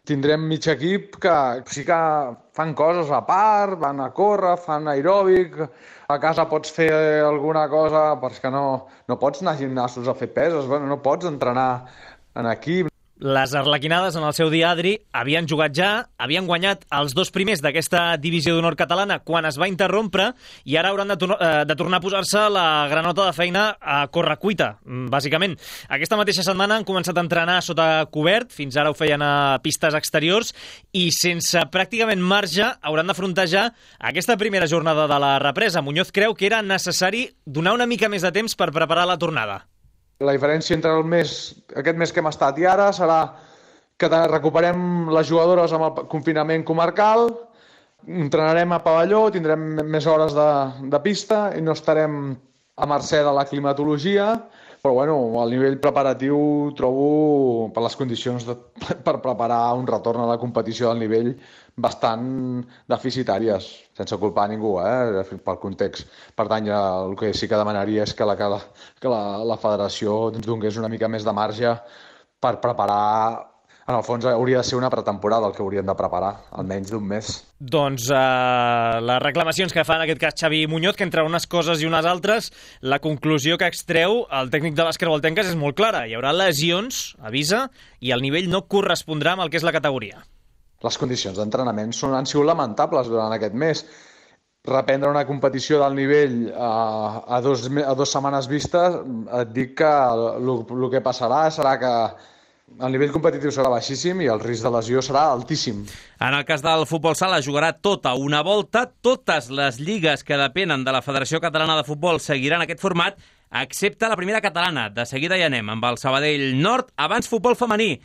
tindrem mig equip que sí que fan coses a part, van a córrer, fan aeròbic, a casa pots fer alguna cosa, perquè no pots anar a gimnasos a fer peses, no pots entrenar en equip. Les arlequinades, en el seu dia, Adri, havien jugat ja, havien guanyat els 2 primers d'aquesta divisió d'honor catalana quan es va interrompre i ara hauran de tornar a posar-se la granota de feina a correcuita, bàsicament. Aquesta mateixa setmana han començat a entrenar sota cobert, fins ara ho feien a pistes exteriors, i sense pràcticament marge hauran d'afrontar ja aquesta primera jornada de la represa. Muñoz creu que era necessari donar una mica més de temps per preparar la tornada. La diferència entre aquest mes que hem estat i ara serà que recuperem les jugadores amb el confinament comarcal, entrenarem a pavelló, tindrem més hores de pista i no estarem a mercè de la climatologia, però bueno, al nivell preparatiu trobo per les condicions per preparar un retorn a la competició del nivell bastant deficitàries, sense culpar a ningú, pel context. Per tant, el que sí que demanaria és que la federació ens donés una mica més de marge per preparar. En el fons hauria de ser una pretemporada el que haurien de preparar, almenys d'un mes. Doncs les reclamacions que fa en aquest cas Xavi Muñoz, que entre unes coses i unes altres, la conclusió que extreu el tècnic de les Creualtenques és molt clara. Hi haurà lesions, avisa, i el nivell no correspondrà amb el que és la categoria. Les condicions d'entrenament han sigut lamentables durant aquest mes. Reprendre una competició del nivell a 2 setmanes vistes, et dic que el que passarà serà que el nivell competitiu serà baixíssim i el risc de lesió serà altíssim. En el cas del futbol sala jugarà tota una volta. Totes les lligues que depenen de la Federació Catalana de Futbol seguiran aquest format, excepte la primera catalana. De seguida hi anem amb el Sabadell Nord. Abans futbol femení.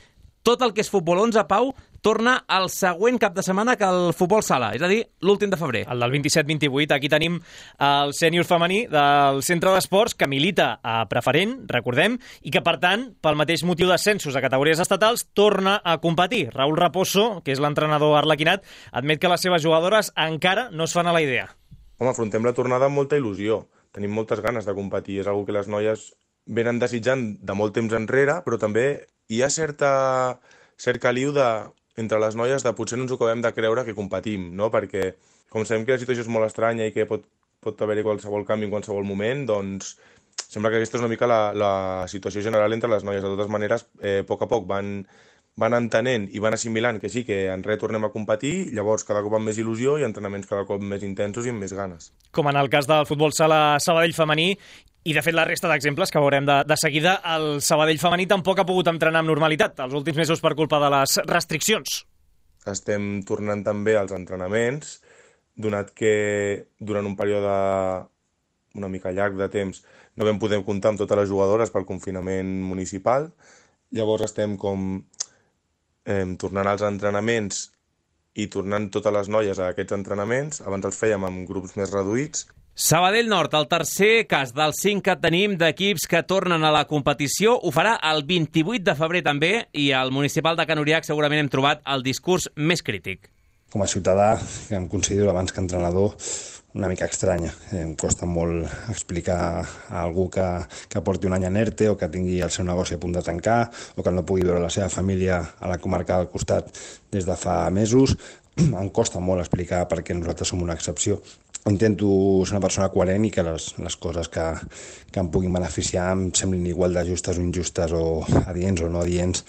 Tot el que és futbol 11, Pau, torna el següent cap de setmana que el futbol sala, és a dir, l'últim de febrer. El del 27-28. Aquí tenim el sènior femení del Centre d'Esports, que milita a preferent, recordem, i que, per tant, pel mateix motiu d'ascensos a categories estatals, torna a competir. Raúl Raposo, que és l'entrenador arlequinat, admet que les seves jugadores encara no es fan a la idea. Home, afrontem la tornada amb molta il·lusió. Tenim moltes ganes de competir. És una que les noies venen desitjant de molt temps enrere, però també hi ha cert caliu entre les noies de potser no ens ho acabem de creure que competim, no? Perquè com sabem que la situació és molt estranya i que pot haver-hi qualsevol canvi en qualsevol moment, doncs sembla que aquesta és una mica la situació general entre les noies. De totes maneres, a poc van entenent i van assimilant que sí, que en res tornem a competir, llavors cada cop amb més il·lusió i entrenaments cada cop més intensos i amb més ganes. Com en el cas del futbol sala Sabadell femení, i de fet la resta d'exemples que veurem de seguida, el Sabadell femení tampoc ha pogut entrenar amb normalitat els últims mesos per culpa de les restriccions. Estem tornant també als entrenaments, donat que durant un període una mica llarg de temps no vam poder comptar amb totes les jugadores pel confinament municipal. Llavors estem tornant als entrenaments i tornant totes les noies a aquests entrenaments. Abans els fèiem amb grups més reduïts. Sabadell Nord, el tercer cas dels 5 que tenim d'equips que tornen a la competició, ho farà el 28 de febrer també, i al municipal de Can Uriach segurament hem trobat el discurs més crític. Com a ciutadà, que em considero abans que entrenador, una mica estranya. Em costa molt explicar a algú que porti un any en ERTE o que tingui el seu negoci a punt de tancar o que no pugui veure la seva família a la comarca del costat des de fa mesos. Em costa molt explicar per què nosaltres som una excepció. Intento ser una persona coherent i que les coses que em puguin beneficiar em semblin igual de justes o injustes o adients o no adients,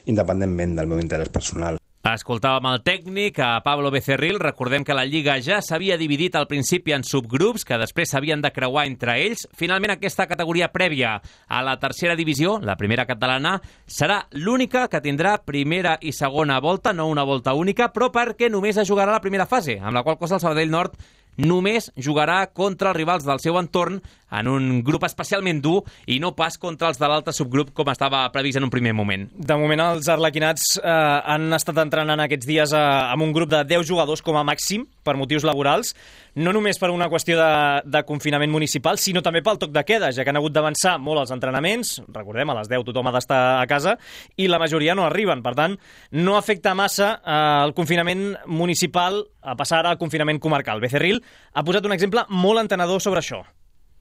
independentment del meu interès personal. Escoltàvem el tècnic, a Pablo Becerril. Recordem que la Lliga ja s'havia dividit al principi en subgrups, que després s'havien de creuar entre ells. Finalment, aquesta categoria prèvia a la tercera divisió, la primera catalana, serà l'única que tindrà primera i segona volta, no una volta única, però perquè només es jugarà la primera fase, amb la qual cosa el Sabadell Nord només jugarà contra els rivals del seu entorn en un grup especialment dur i no pas contra els de l'altre subgrup com estava previst en un primer moment. De moment els arlequinats han estat entrenant aquests dies amb un grup de 10 jugadors com a màxim per motius laborals, no només per una qüestió de confinament municipal, sinó també pel toc de queda, ja que han hagut d'avançar molt els entrenaments. Recordem, a les 10 tothom ha d'estar a casa i la majoria no arriben. Per tant, no afecta massa el confinament municipal a passar ara al confinament comarcal. Becerril ha posat un exemple molt entenedor sobre això.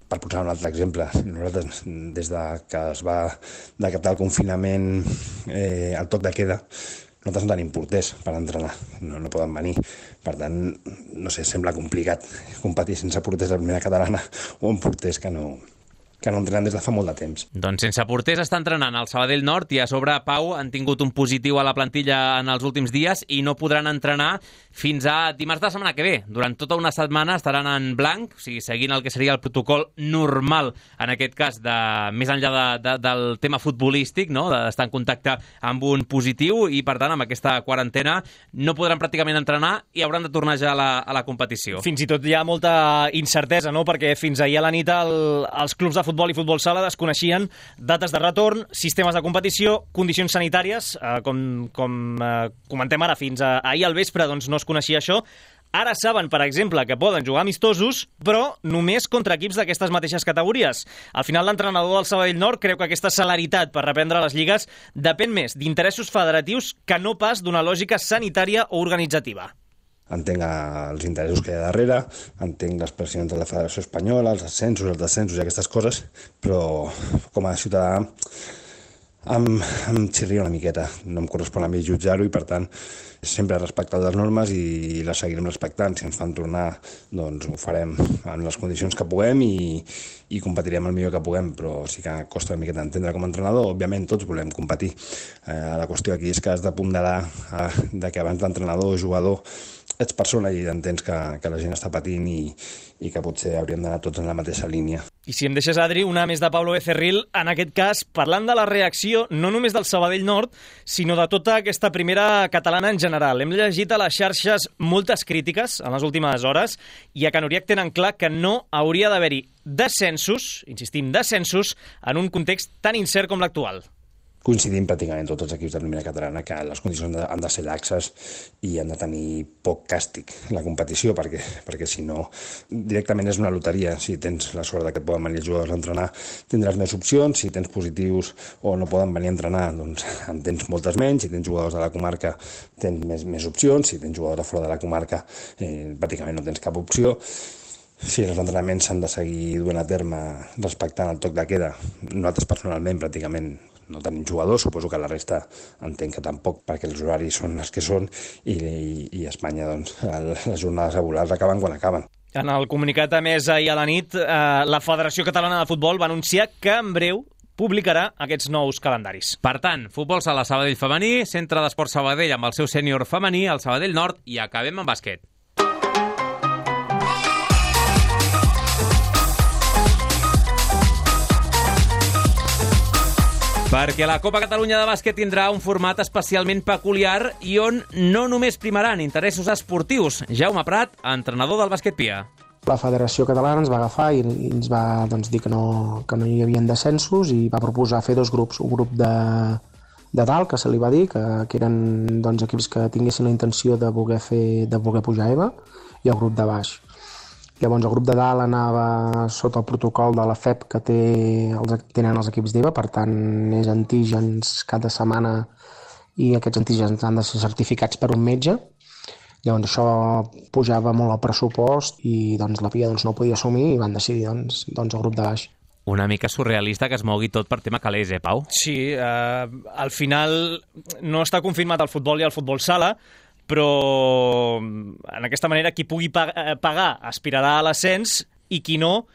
Per posar un altre exemple, nosaltres, des que es va decretar el confinament, el toc de queda, nosaltres no tenim porters per entrenar, no poden venir. Per tant, no sé, sembla complicat competir sense porters de la primera catalana o amb porters que no que no entrenen des de fa molt de temps. Doncs sense porters està entrenant el Sabadell Nord i a sobre, Pau, han tingut un positiu a la plantilla en els últims dies i no podran entrenar fins a dimarts de la setmana que ve. Durant tota una setmana estaran en blanc, o sigui, seguint el que seria el protocol normal, en aquest cas, més enllà del tema futbolístic, no? D'estar en contacte amb un positiu i, per tant, amb aquesta quarantena no podran pràcticament entrenar i hauran de tornar ja a la competició. Fins i tot hi ha molta incertesa, no? Perquè fins ahir a la nit els clubs de futbol i futbol sala desconeixien dates de retorn, sistemes de competició, condicions sanitàries, com comentem ara, fins ahir al vespre doncs no es coneixia això. Ara saben, per exemple, que poden jugar amistosos, però només contra equips d'aquestes mateixes categories. Al final, l'entrenador del Sabadell Nord creu que aquesta celeritat per reprendre les lligues depèn més d'interessos federatius que no pas d'una lògica sanitària o organitzativa. Entenc els interessos que hi ha darrere, entenc les pressions de la Federació Espanyola, els ascensos, els descensos i aquestes coses, però com a ciutadà em xirria una miqueta. No em correspon a mi jutjar-ho i, per tant, sempre he respectat les normes i les seguirem respectant. Si ens fan tornar, doncs ho farem en les condicions que puguem i competirem el millor que puguem, però sí que costa una miqueta entendre com a entrenador. Òbviament tots volem competir. La qüestió aquí és que has de ponderar de que abans d'entrenador o jugador ets persona i entens que la gent està patint i que potser hauríem d'anar tots en la mateixa línia. I si em deixes, Adri, una més de Pablo Becerril, en aquest cas, parlant de la reacció no només del Sabadell Nord, sinó de tota aquesta primera catalana en general. Hem llegit a les xarxes moltes crítiques en les últimes hores i a Can Uriac tenen clar que no hauria d'haver-hi descensos, insistim, descensos, en un context tan incert com l'actual. Coincidim pràcticament tots els equips de primera catalana que les condicions han de ser laxes i han de tenir poc càstig la competició, perquè si no directament és una loteria. Si tens la sort que et poden venir els jugadors a entrenar, tindràs més opcions. Si tens positius o no poden venir a entrenar, doncs en tens moltes menys. Si tens jugadors de la comarca, tens més opcions. Si tens jugadors de fora de la comarca, pràcticament no tens cap opció. Si els entrenaments s'han de seguir duent a terme respectant el toc de queda, nosaltres personalment pràcticament no tenim jugadors, suposo que la resta entenc que tampoc, perquè els horaris són els que són i a Espanya doncs, les jornades laborals acaben quan acaben. En el comunicat emès ahir a la nit, la Federació Catalana de Futbol va anunciar que en breu publicarà aquests nous calendaris. Per tant, futbol sala Sabadell femení, centre d'esport Sabadell amb el seu sènior femení, el Sabadell Nord, i acabem amb bàsquet. Perquè la Copa Catalunya de bàsquet tindrà un format especialment peculiar i on no només primaran interessos esportius. Jaume Prat, entrenador del Bàsquet Pia. La Federació Catalana ens va agafar i ens va dir que no hi havia descensos i va proposar fer dos grups. Un grup de dalt, que se li va dir, que eren equips que tinguessin la intenció de voler pujar a EVA, i el grup de baix. Llavors el grup de dalt anava sota el protocol de la FEP que tenen els equips d'EVA, per tant és antígens cada setmana i aquests antígens han de ser certificats per un metge. Llavors això pujava molt el pressupost i la Pia no ho podia assumir i van decidir el grup de baix. Una mica surrealista que es mogui tot per tema calés, Pau? Sí, al final no està confirmat el futbol i el futbol sala, però en aquesta manera qui pugui pagar aspirarà a l'ascens i qui no,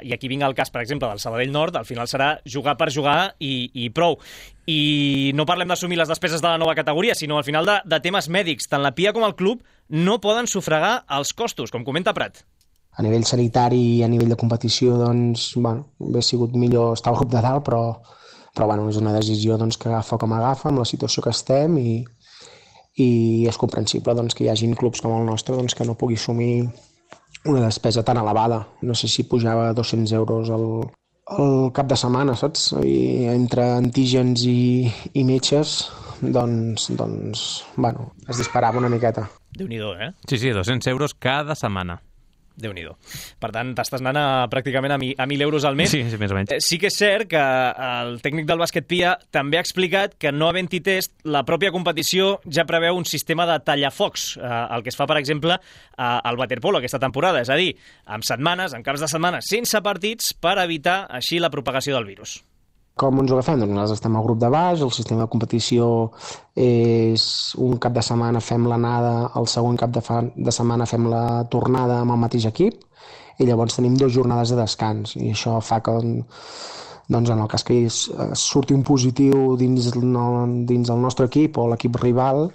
i aquí vinga el cas, per exemple, del Sabadell Nord, al final serà jugar per jugar i prou. I no parlem d'assumir les despeses de la nova categoria, sinó al final de temes mèdics. Tant la Pia com el club no poden sufragar els costos, com comenta Prat. A nivell sanitari i a nivell de competició, hauria sigut millor estar al grup de dalt, però és una decisió que agafa com agafa, amb la situació que estem, i és comprensible que hi hagin clubs com el nostre que no pugui assumir una despesa tan elevada. No sé si pujava 200 euros al cap de setmana, saps? I entre antígens i metges, es disparava una miqueta. Déu-n'hi-do, eh? Sí, 200 euros cada setmana. Déu-n'hi-do. Per tant, t'estàs anant pràcticament a 1.000 euros al mes. Sí, més o menys. Sí que és cert que el tècnic del Bàsquet Pia també ha explicat que no havent-hi test, la pròpia competició ja preveu un sistema de tallafocs, el que es fa, per exemple, al waterpolo aquesta temporada, és a dir, amb caps de setmana sense partits per evitar així la propagació del virus. Com ens ho agafem? Nosaltres estem al grup de baix, el sistema de competició és un cap de setmana fem l'anada, el següent cap de setmana fem la tornada amb el mateix equip, i llavors tenim 2 jornades de descans, i això fa que doncs en el cas que surti un positiu dins el nostre equip o l'equip rival,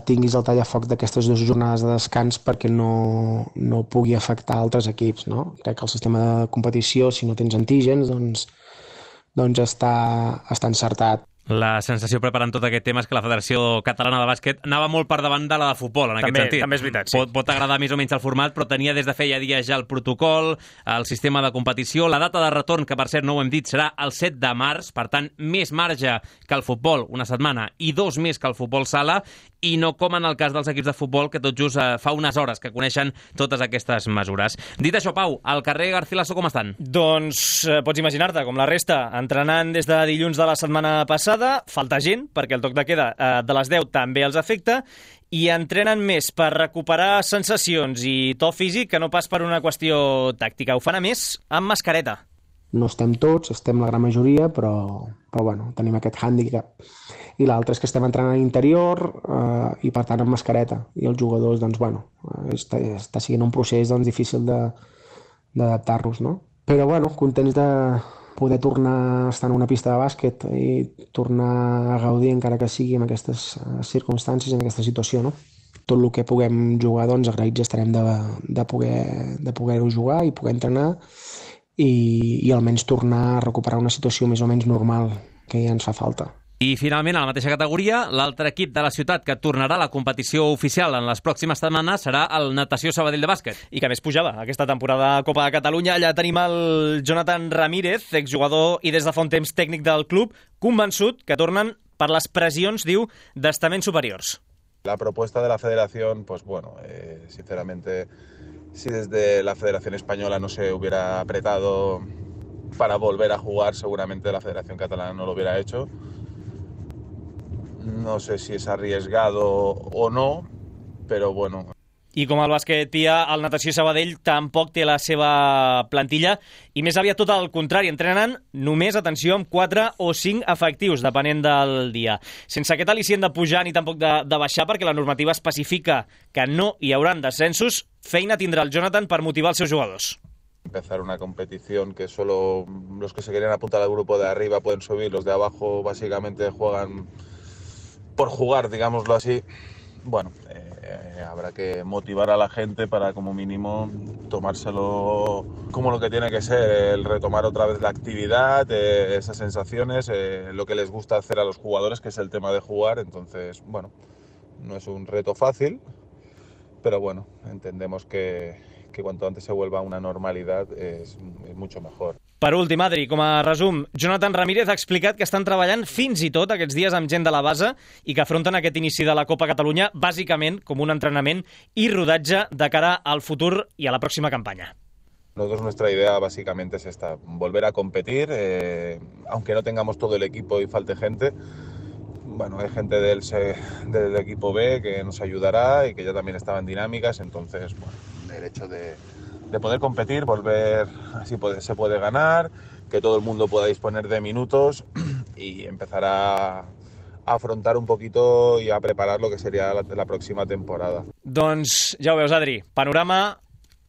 tinguis el tallafoc d'aquestes 2 jornades de descans perquè no pugui afectar altres equips, no? Crec que el sistema de competició, si no tens antígens, doncs està encertat. La sensació preparant tot aquest tema és que la Federació Catalana de Bàsquet anava molt per davant de la de futbol, en aquest sentit. També és veritat, sí. Pot agradar més o menys el format, però tenia des de feia dies ja el protocol, el sistema de competició, la data de retorn, que per cert no ho hem dit, serà el 7 de març, per tant, més marge que el futbol, una setmana, i 2 més que el futbol sala, i no com en el cas dels equips de futbol, que tot just fa unes hores que coneixen totes aquestes mesures. Dit això, Pau, al carrer Garcilaso com estan? Doncs pots imaginar-te, com la resta, entrenant des de dilluns de la setmana passada, falta gent, perquè el toc de queda de les 10 també els afecta, i entrenen més per recuperar sensacions i to físic que no pas per una qüestió tàctica. Ho fan a més amb mascareta. No estem tots, estem la gran majoria, però bueno, tenim aquest hàndicap. I l'altre és que estem entrenant a l'interior i per tant amb mascareta. I els jugadors, doncs bueno, està sent un procés difícil d'adaptar-nos, no? Però bueno, contents de poder tornar a estar en una pista de bàsquet i tornar a gaudir, encara que sigui en aquestes circumstàncies, en aquesta situació, no? Tot el que puguem jugar, doncs agraïts estarem de poder-ho jugar i poder entrenar i almenys tornar a recuperar una situació més o menys normal, que ja ens fa falta. I finalment, a la mateixa categoria, l'altre equip de la ciutat que tornarà a la competició oficial en les pròximes setmanes serà el Natació Sabadell de bàsquet. I que més pujava aquesta temporada a Copa de Catalunya. Allà tenim el Jonathan Ramírez, exjugador i des de fa un temps tècnic del club, convençut que tornen per les pressions, diu, d'estaments superiors. La propuesta de la federación, pues bueno, sinceramente, si desde la Federación Española no se hubiera apretado para volver a jugar, seguramente la Federación Catalana no lo hubiera hecho. No sé si es arriesgado o no, pero bueno. I com el bàsquet Pia, el Natació Sabadell tampoc té la seva plantilla i més aviat tot el contrari, entrenen només, atenció, amb 4 o 5 efectius, depenent del dia. Sense aquest al·licient de pujar ni tampoc de baixar, perquè la normativa especifica que no hi hauran descensos, feina tindrà el Jonathan per motivar els seus jugadors. Empezar una competición que solo los que se querían apuntar al grupo de arriba pueden subir, los de abajo básicamente juegan por jugar, digámoslo así. Bueno, habrá que motivar a la gente para como mínimo tomárselo como lo que tiene que ser, el retomar otra vez la actividad, esas sensaciones, lo que les gusta hacer a los jugadores, que es el tema de jugar. Entonces, bueno, no es un reto fácil, pero bueno, entendemos que cuanto antes se vuelva a una normalidad es mucho mejor. Per últim, Adri, com a resum, Jonathan Ramírez ha explicat que estan treballant fins i tot aquests dies amb gent de la base i que afronten aquest inici de la Copa Catalunya bàsicament com un entrenament i rodatge de cara al futur i a la pròxima campanya. Nosotros nuestra idea básicamente es esta, volver a competir, aunque no tengamos todo el equipo y falte gente. Bueno, hay gente del equipo B que nos ayudará y que ya también estaba en dinámicas, entonces, bueno, el hecho de poder competir, volver, así se puede ganar, que todo el mundo pueda disponer de minutos y empezar a afrontar un poquito y a preparar lo que sería la próxima temporada. Doncs ja ho veus, Adri, panorama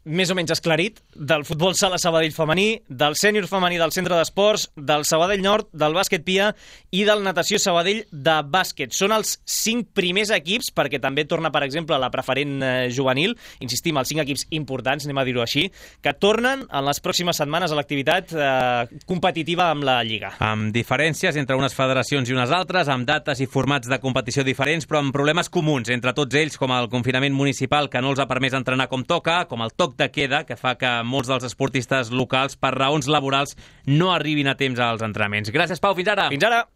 més o menys esclarit del futbol sala Sabadell femení, del sènior femení del centre d'esports, del Sabadell Nord, del bàsquet Pia i del Natació Sabadell de bàsquet. Són els 5 primers equips, perquè també torna, per exemple, la preferent juvenil, insistim, els 5 equips importants, anem a dir-ho així, que tornen en les pròximes setmanes a l'activitat competitiva amb la Lliga. Amb diferències entre unes federacions i unes altres, amb dates i formats de competició diferents, però amb problemes comuns entre tots ells, com el confinament municipal que no els ha permès entrenar com toca, com el toc de queda, que fa que molts dels esportistes locals, per raons laborals, no arribin a temps als entrenaments. Gràcies, Pau. Fins ara. Fins ara.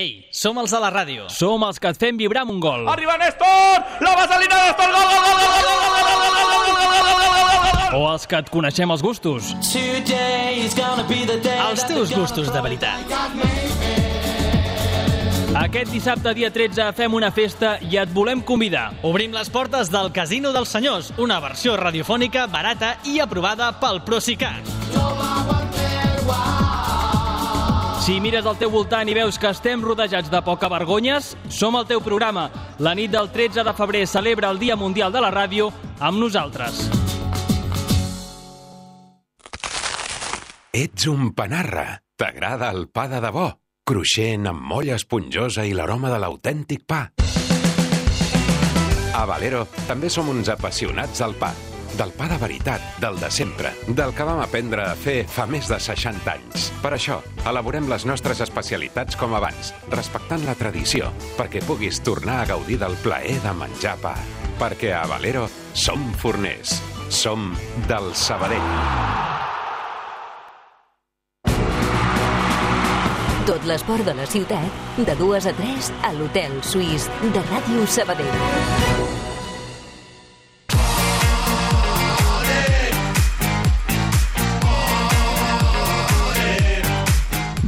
Ei, som els de la ràdio. Som els que et fem vibrar amb un gol. Arriba Néstor! La vaselina Néstor! Gol, gol, gol, gol, gol, gol, gol, o els que et coneixem els gustos. Els teus gustos de veritat. Aquest dissabte, dia 13, fem una festa i et volem convidar. Obrim les portes del Casino dels Senyors, una versió radiofònica barata i aprovada pel Procicat. Si mires al teu voltant i veus que estem rodejats de poca vergonyes, som el teu programa. La nit del 13 de febrer celebra el Dia Mundial de la Ràdio amb nosaltres. Ets un panarra. T'agrada el pa de debò, cruixent amb molla esponjosa i l'aroma de l'autèntic pa. A Valero també som uns apassionats del pa. Del pa de veritat, del de sempre, del que vam aprendre a fer fa més de 60 anys. Per això, elaborem les nostres especialitats com abans, respectant la tradició, perquè puguis tornar a gaudir del plaer de menjar pa. Perquè a Valero som forners, som del Sabadell. Tot l'esport de la ciutat, de 2 a 3 a l'Hotel Suís de Ràdio Sabadell.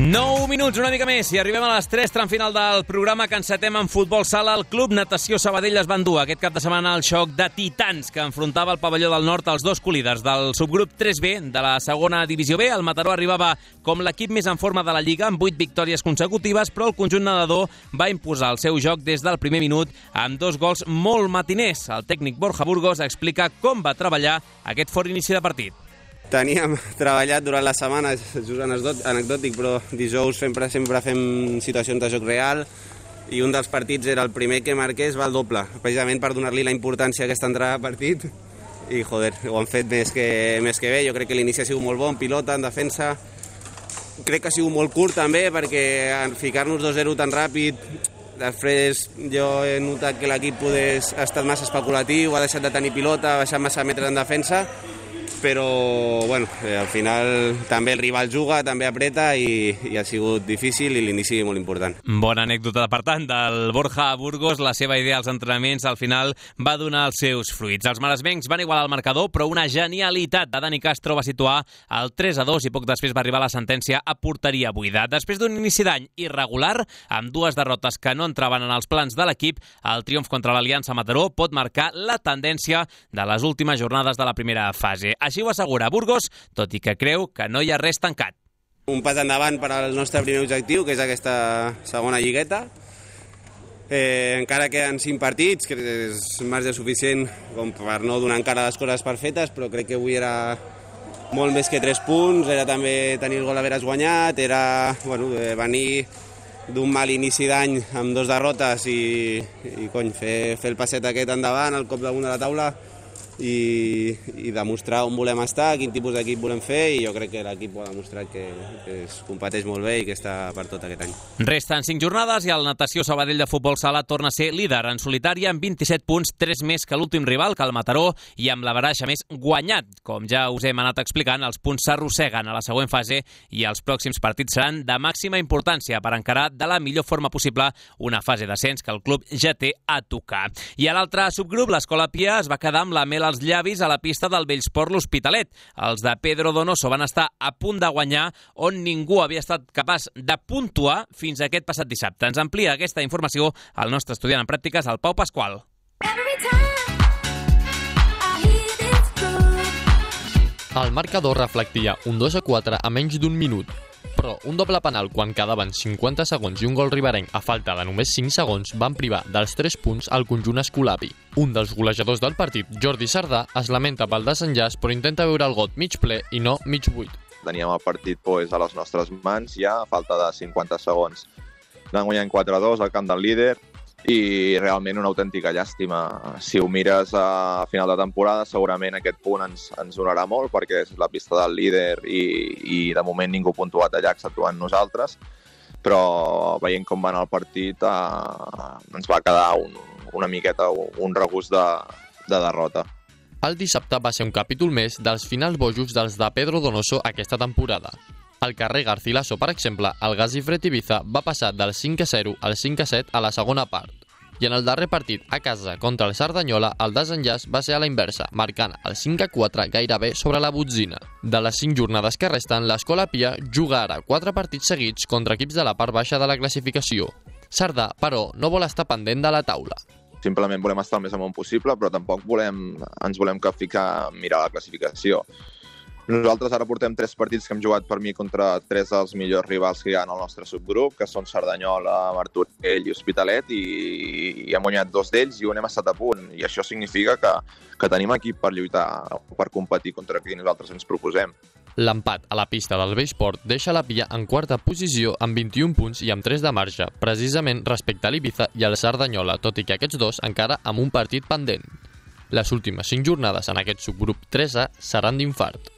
9 minuts, una mica més, i arribem a les 3, tram final del programa que encetem amb futbol sala. El Club Natació Sabadell es va endur aquest cap de setmana el xoc de titans que enfrontava el pavelló del nord als dos colíders del subgrup 3B de la segona divisió B. El Mataró arribava com l'equip més en forma de la Lliga amb 8 victòries consecutives, però el conjunt nedador va imposar el seu joc des del primer minut amb 2 gols molt matiners. El tècnic Borja Burgos explica com va treballar aquest fort inici de partit. Teníem treballat durant la setmana, és just anecdòtic, però dijous sempre fem situacions de joc real i un dels partits era el primer que marqués va al doble, precisament per donar-li la importància a aquesta entrada de partit i joder, ho han fet més que bé. Jo crec que l'inici ha sigut molt bon, pilota, en defensa. Crec que ha sigut molt curt també perquè en ficar-nos 2-0 tan ràpid, després jo he notat que l'equip ha estat massa especulatiu, ha deixat de tenir pilota, ha baixat massa metres en defensa, però bueno, al final també el rival juga, també apreta i ha sigut difícil i l'inici molt important. Bona anècdota, per tant, del Borja Burgos. La seva idea als entrenaments al final va donar els seus fruits. Els maresmencs van igualar el marcador, però una genialitat de Dani Castro va situar el 3-2 i poc després va arribar la sentència a porteria buida. Després d'un inici d'any irregular, amb 2 derrotes que no entraven en els plans de l'equip, el triomf contra l'Aliança Mataró pot marcar la tendència de les últimes jornades de la primera fase. Així ho assegura Burgos, tot i que creu que no hi ha res tancat. Un pas endavant per al nostre primer objectiu, que és aquesta segona lligueta. Encara queden 5 partits, que és marge suficient com per no donar encara les coses per fetes, però crec que avui era molt més que 3 punts, era també tenir el gol haver guanyat, era venir d'un mal inici d'any amb 2 derrotes i fer el passet aquest endavant, el cop damunt de la taula, i demostrar on volem estar, quin tipus d'equip volem fer, i jo crec que l'equip ho ha demostrat que es competeix molt bé i que està per tot aquest any. Resten 5 jornades i el Natació Sabadell de futbol sala torna a ser líder en solitari amb 27 punts, 3 més que l'últim rival, que el Mataró, i amb la baraxa més guanyat. Com ja us hem anat explicant, els punts s'arrosseguen a la següent fase i els pròxims partits seran de màxima importància per encarar de la millor forma possible una fase d'ascens que el club ja té a tocar. I a l'altre subgrup, l'Escola Pia es va quedar amb la mel als llavis a la pista del Bellsport l'Hospitalet. Els de Pedro Donoso van estar a punt de guanyar on ningú havia estat capaç de puntuar fins aquest passat dissabte. Ens amplia aquesta informació el nostre estudiant en pràctiques, el Pau Pasqual. El marcador reflectia un 2-4 a menys d'un minut, però un doble penal quan quedaven 50 segons i un gol riberenc a falta de només 5 segons van privar dels 3 punts al conjunt escolapi. Un dels golejadors del partit, Jordi Sardà, es lamenta pel desenllaç però intenta veure el got mig ple i no mig buit. Teníem el partit a les nostres mans ja a falta de 50 segons. Vam guanyar 4-2 al camp del líder i realment una autèntica llàstima. Si ho mires a final de temporada, segurament aquest punt ens donarà molt perquè és la pista del líder i de moment ningú ha puntuat allà exceptuant nosaltres, però veient com va anar el partit ens va quedar una miqueta un regust de derrota. El dissabte va ser un capítol més dels finals bojos dels de Pedro Donoso aquesta temporada. Al carrer Garcilaso, per exemple, el Gazi Fred Ibiza va passar del 5-0 al 5-7 a la segona part. I en el darrer partit, a casa, contra el Cerdanyola, el desenllaç va ser a la inversa, marcant el 5-4 gairebé sobre la botzina. De les 5 jornades que resten, l'Escola Pia juga ara 4 partits seguits contra equips de la part baixa de la classificació. Sardà, però, no vol estar pendent de la taula. Simplement volem estar el més amunt possible, però tampoc ens volem capficar a mirar la classificació. Nosaltres ara portem 3 partits que hem jugat per mi contra 3 dels millors rivals que hi ha en el nostre subgrup, que són Cerdanyola, Martorell i Hospitalet, i hem guanyat 2 d'ells i un hem estat a punt. I això significa que tenim equip per lluitar, per competir contra qui nosaltres ens proposem. L'empat a la pista del Vallsport deixa la Pia en quarta posició amb 21 punts i amb 3 de marge, precisament respecte a l'Ibiza i al Cerdanyola, tot i que aquests dos encara amb un partit pendent. Les últimes 5 jornades en aquest subgrup 3A seran d'infart.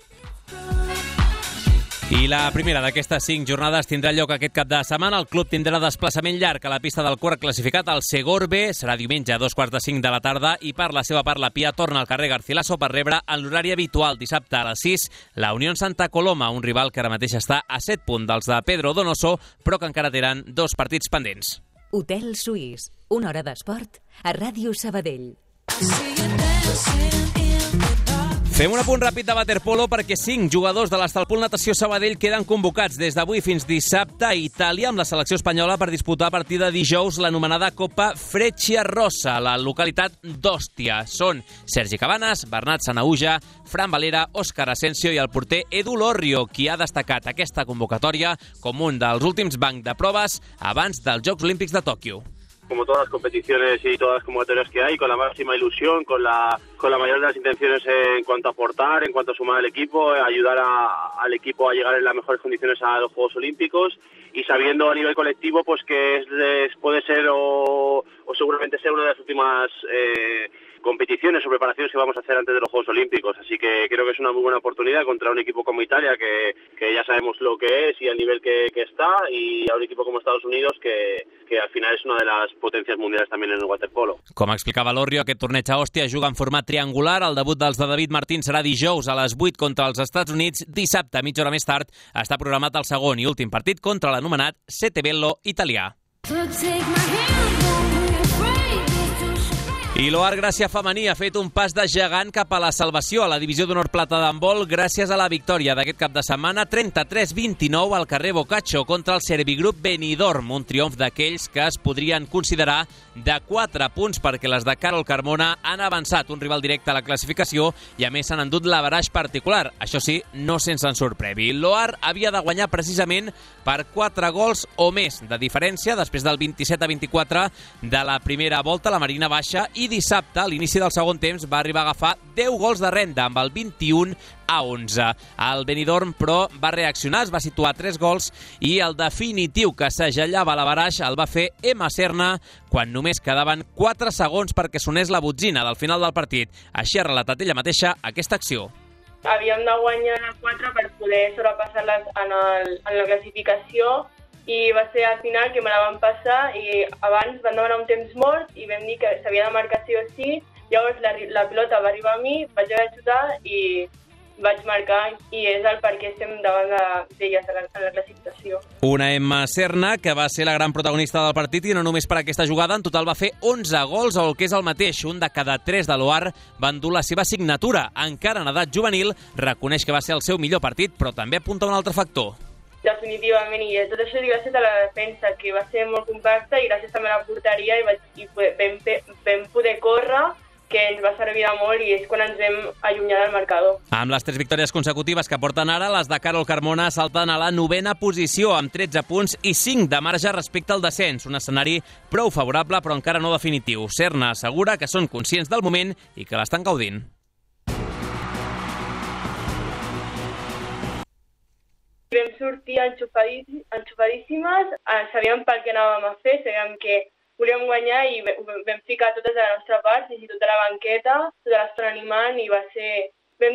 I la primera d'aquestes 5 jornades tindrà lloc aquest cap de setmana. El club tindrà desplaçament llarg a la pista del quart classificat, el Segor B. Serà diumenge a 2:45 de la tarda i per la seva part la Pia torna al carrer Garcilaso per rebre en l'horari habitual dissabte a les 6 la Unió Santa Coloma, un rival que ara mateix està a 7 punts dels de Pedro Donoso, però que encara tenen 2 partits pendents. Hotel Suís, una hora d'esport a Ràdio Sabadell. Fem un apunt ràpid de waterpolo perquè 5 jugadors de l'Estalpol Natació Sabadell queden convocats des d'avui fins dissabte a Itàlia amb la selecció espanyola per disputar a partir de dijous l'anomenada Copa Frecciarossa a la localitat d'Òstia. Són Sergi Cabanes, Bernat Sanauja, Fran Valera, Òscar Asensio i el porter Edu Lorrio, qui ha destacat aquesta convocatòria com un dels últims bancs de proves abans dels Jocs Olímpics de Tòquio. Como todas las competiciones y todas las convocatorias que hay, con la máxima ilusión, con la mayor de las intenciones en cuanto a aportar, en cuanto a sumar al equipo, ayudar al equipo a llegar en las mejores condiciones a los Juegos Olímpicos y sabiendo a nivel colectivo pues que puede ser o seguramente sea una de las últimas competiciones o preparaciones que vamos a hacer antes de los Juegos Olímpicos, así que creo que es una muy buena oportunidad contra un equipo como Italia que ya sabemos lo que es y el nivel que está, y a un equipo como Estados Unidos que al final es una de las potencias mundiales también en el waterpolo. Com explicava Lorrio, aquest torneig a Òstia juga en format triangular. El debut dels de David Martín serà dijous a les 8 contra els Estats Units. Dissabte, mitja hora més tard, està programat el segon i últim partit contra l'anomenat Sette Bello italià. I l'Oar Gràcia femení ha fet un pas de gegant cap a la salvació a la divisió d'honor plata d'handbol gràcies a la victòria d'aquest cap de setmana 33-29 al carrer Boccaccio contra el Servigroup Benidorm, un triomf d'aquells que es podrien considerar de 4 punts perquè les de Carol Carmona han avançat un rival directe a la classificació i a més s'han endut l'averaix particular, això sí, no sense ensurt previ. L'Oar havia de guanyar precisament per 4 gols o més de diferència després del 27-24 de la primera volta, la Marina Baixa, i dissabte, a l'inici del segon temps, va arribar a agafar 10 gols de renda amb el 21-11. El Benidorm, però, va reaccionar, es va situar 3 gols i el definitiu que s'agellava a l'averaix el va fer Emma Serna quan només quedaven 4 segons perquè sonés la botzina del final del partit. Així ha relatat ella mateixa aquesta acció. Havíem de guanyar 4 per poder sobrepassar-les en la classificació i va ser al final que me la van passar i abans van demanar un temps mort i vam dir que s'havia de marcar sí o sí. Llavors la pilota va arribar a mi, vaig haver de xutar i vaig marcar i és el per què estem davant d'elles en la classificació. Una Emma Serna que va ser la gran protagonista del partit i no només per aquesta jugada, en total va fer 11 gols, o el que és el mateix, un de cada 3 de l'Oar van dur la seva signatura. Encara en edat juvenil, reconeix que va ser el seu millor partit, però també apunta un altre factor. Definitivament, i tot això gràcies a la defensa, que va ser molt compacta, i gràcies també a la porteria i vam poder córrer, que ens va servir de molt i és quan ens vam allunyar del marcador. Amb les 3 victòries consecutives que porten ara, les de Carol Carmona salten a la 9a posició amb 13 punts i 5 de marge respecte al descens. Un escenari prou favorable però encara no definitiu. Serna assegura que són conscients del moment i que l'estan gaudint. Vam sortir enxufadíssimes, sabíem pel que anàvem a fer, sabíem que volíem guanyar i vam ficar totes a la nostra part, i tota la banqueta, tota l'estona animant, i vam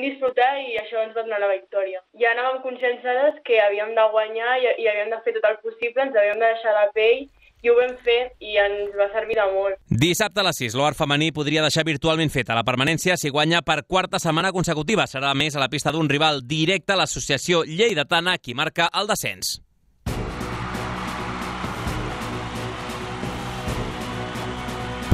disfrutar i això ens va donar la victòria. Ja anàvem conscienciades que havíem de guanyar i havíem de fer tot el possible, ens havíem de deixar la pell, i ho vam fer i ens va servir de molt. Dissabte a les 6, l'Oar femení podria deixar virtualment feta la permanència si guanya per 4a setmana consecutiva. Serà a més a la pista d'un rival directe, l'associació lleidatana, qui marca el descens.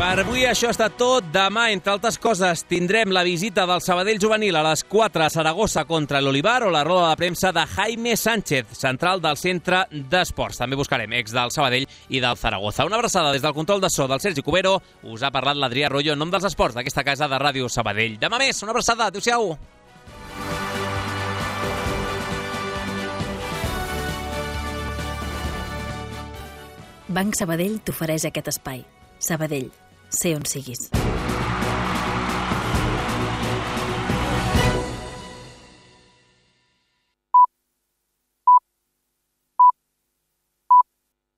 Per avui això ha estat tot. Demà, entre altres coses, tindrem la visita del Sabadell juvenil a les 4 a Saragossa contra l'Olivar o la roda de premsa de Jaime Sánchez, central del centre d'esports. També buscarem ex del Sabadell i del Zaragoza. Una abraçada des del control de so del Sergi Cubero. Us ha parlat l'Adrià Royo en nom dels esports d'aquesta casa de Ràdio Sabadell. Demà més, una abraçada. Adéu-siau. Banc Sabadell t'ofereix aquest espai. Sabadell, sé on siguis.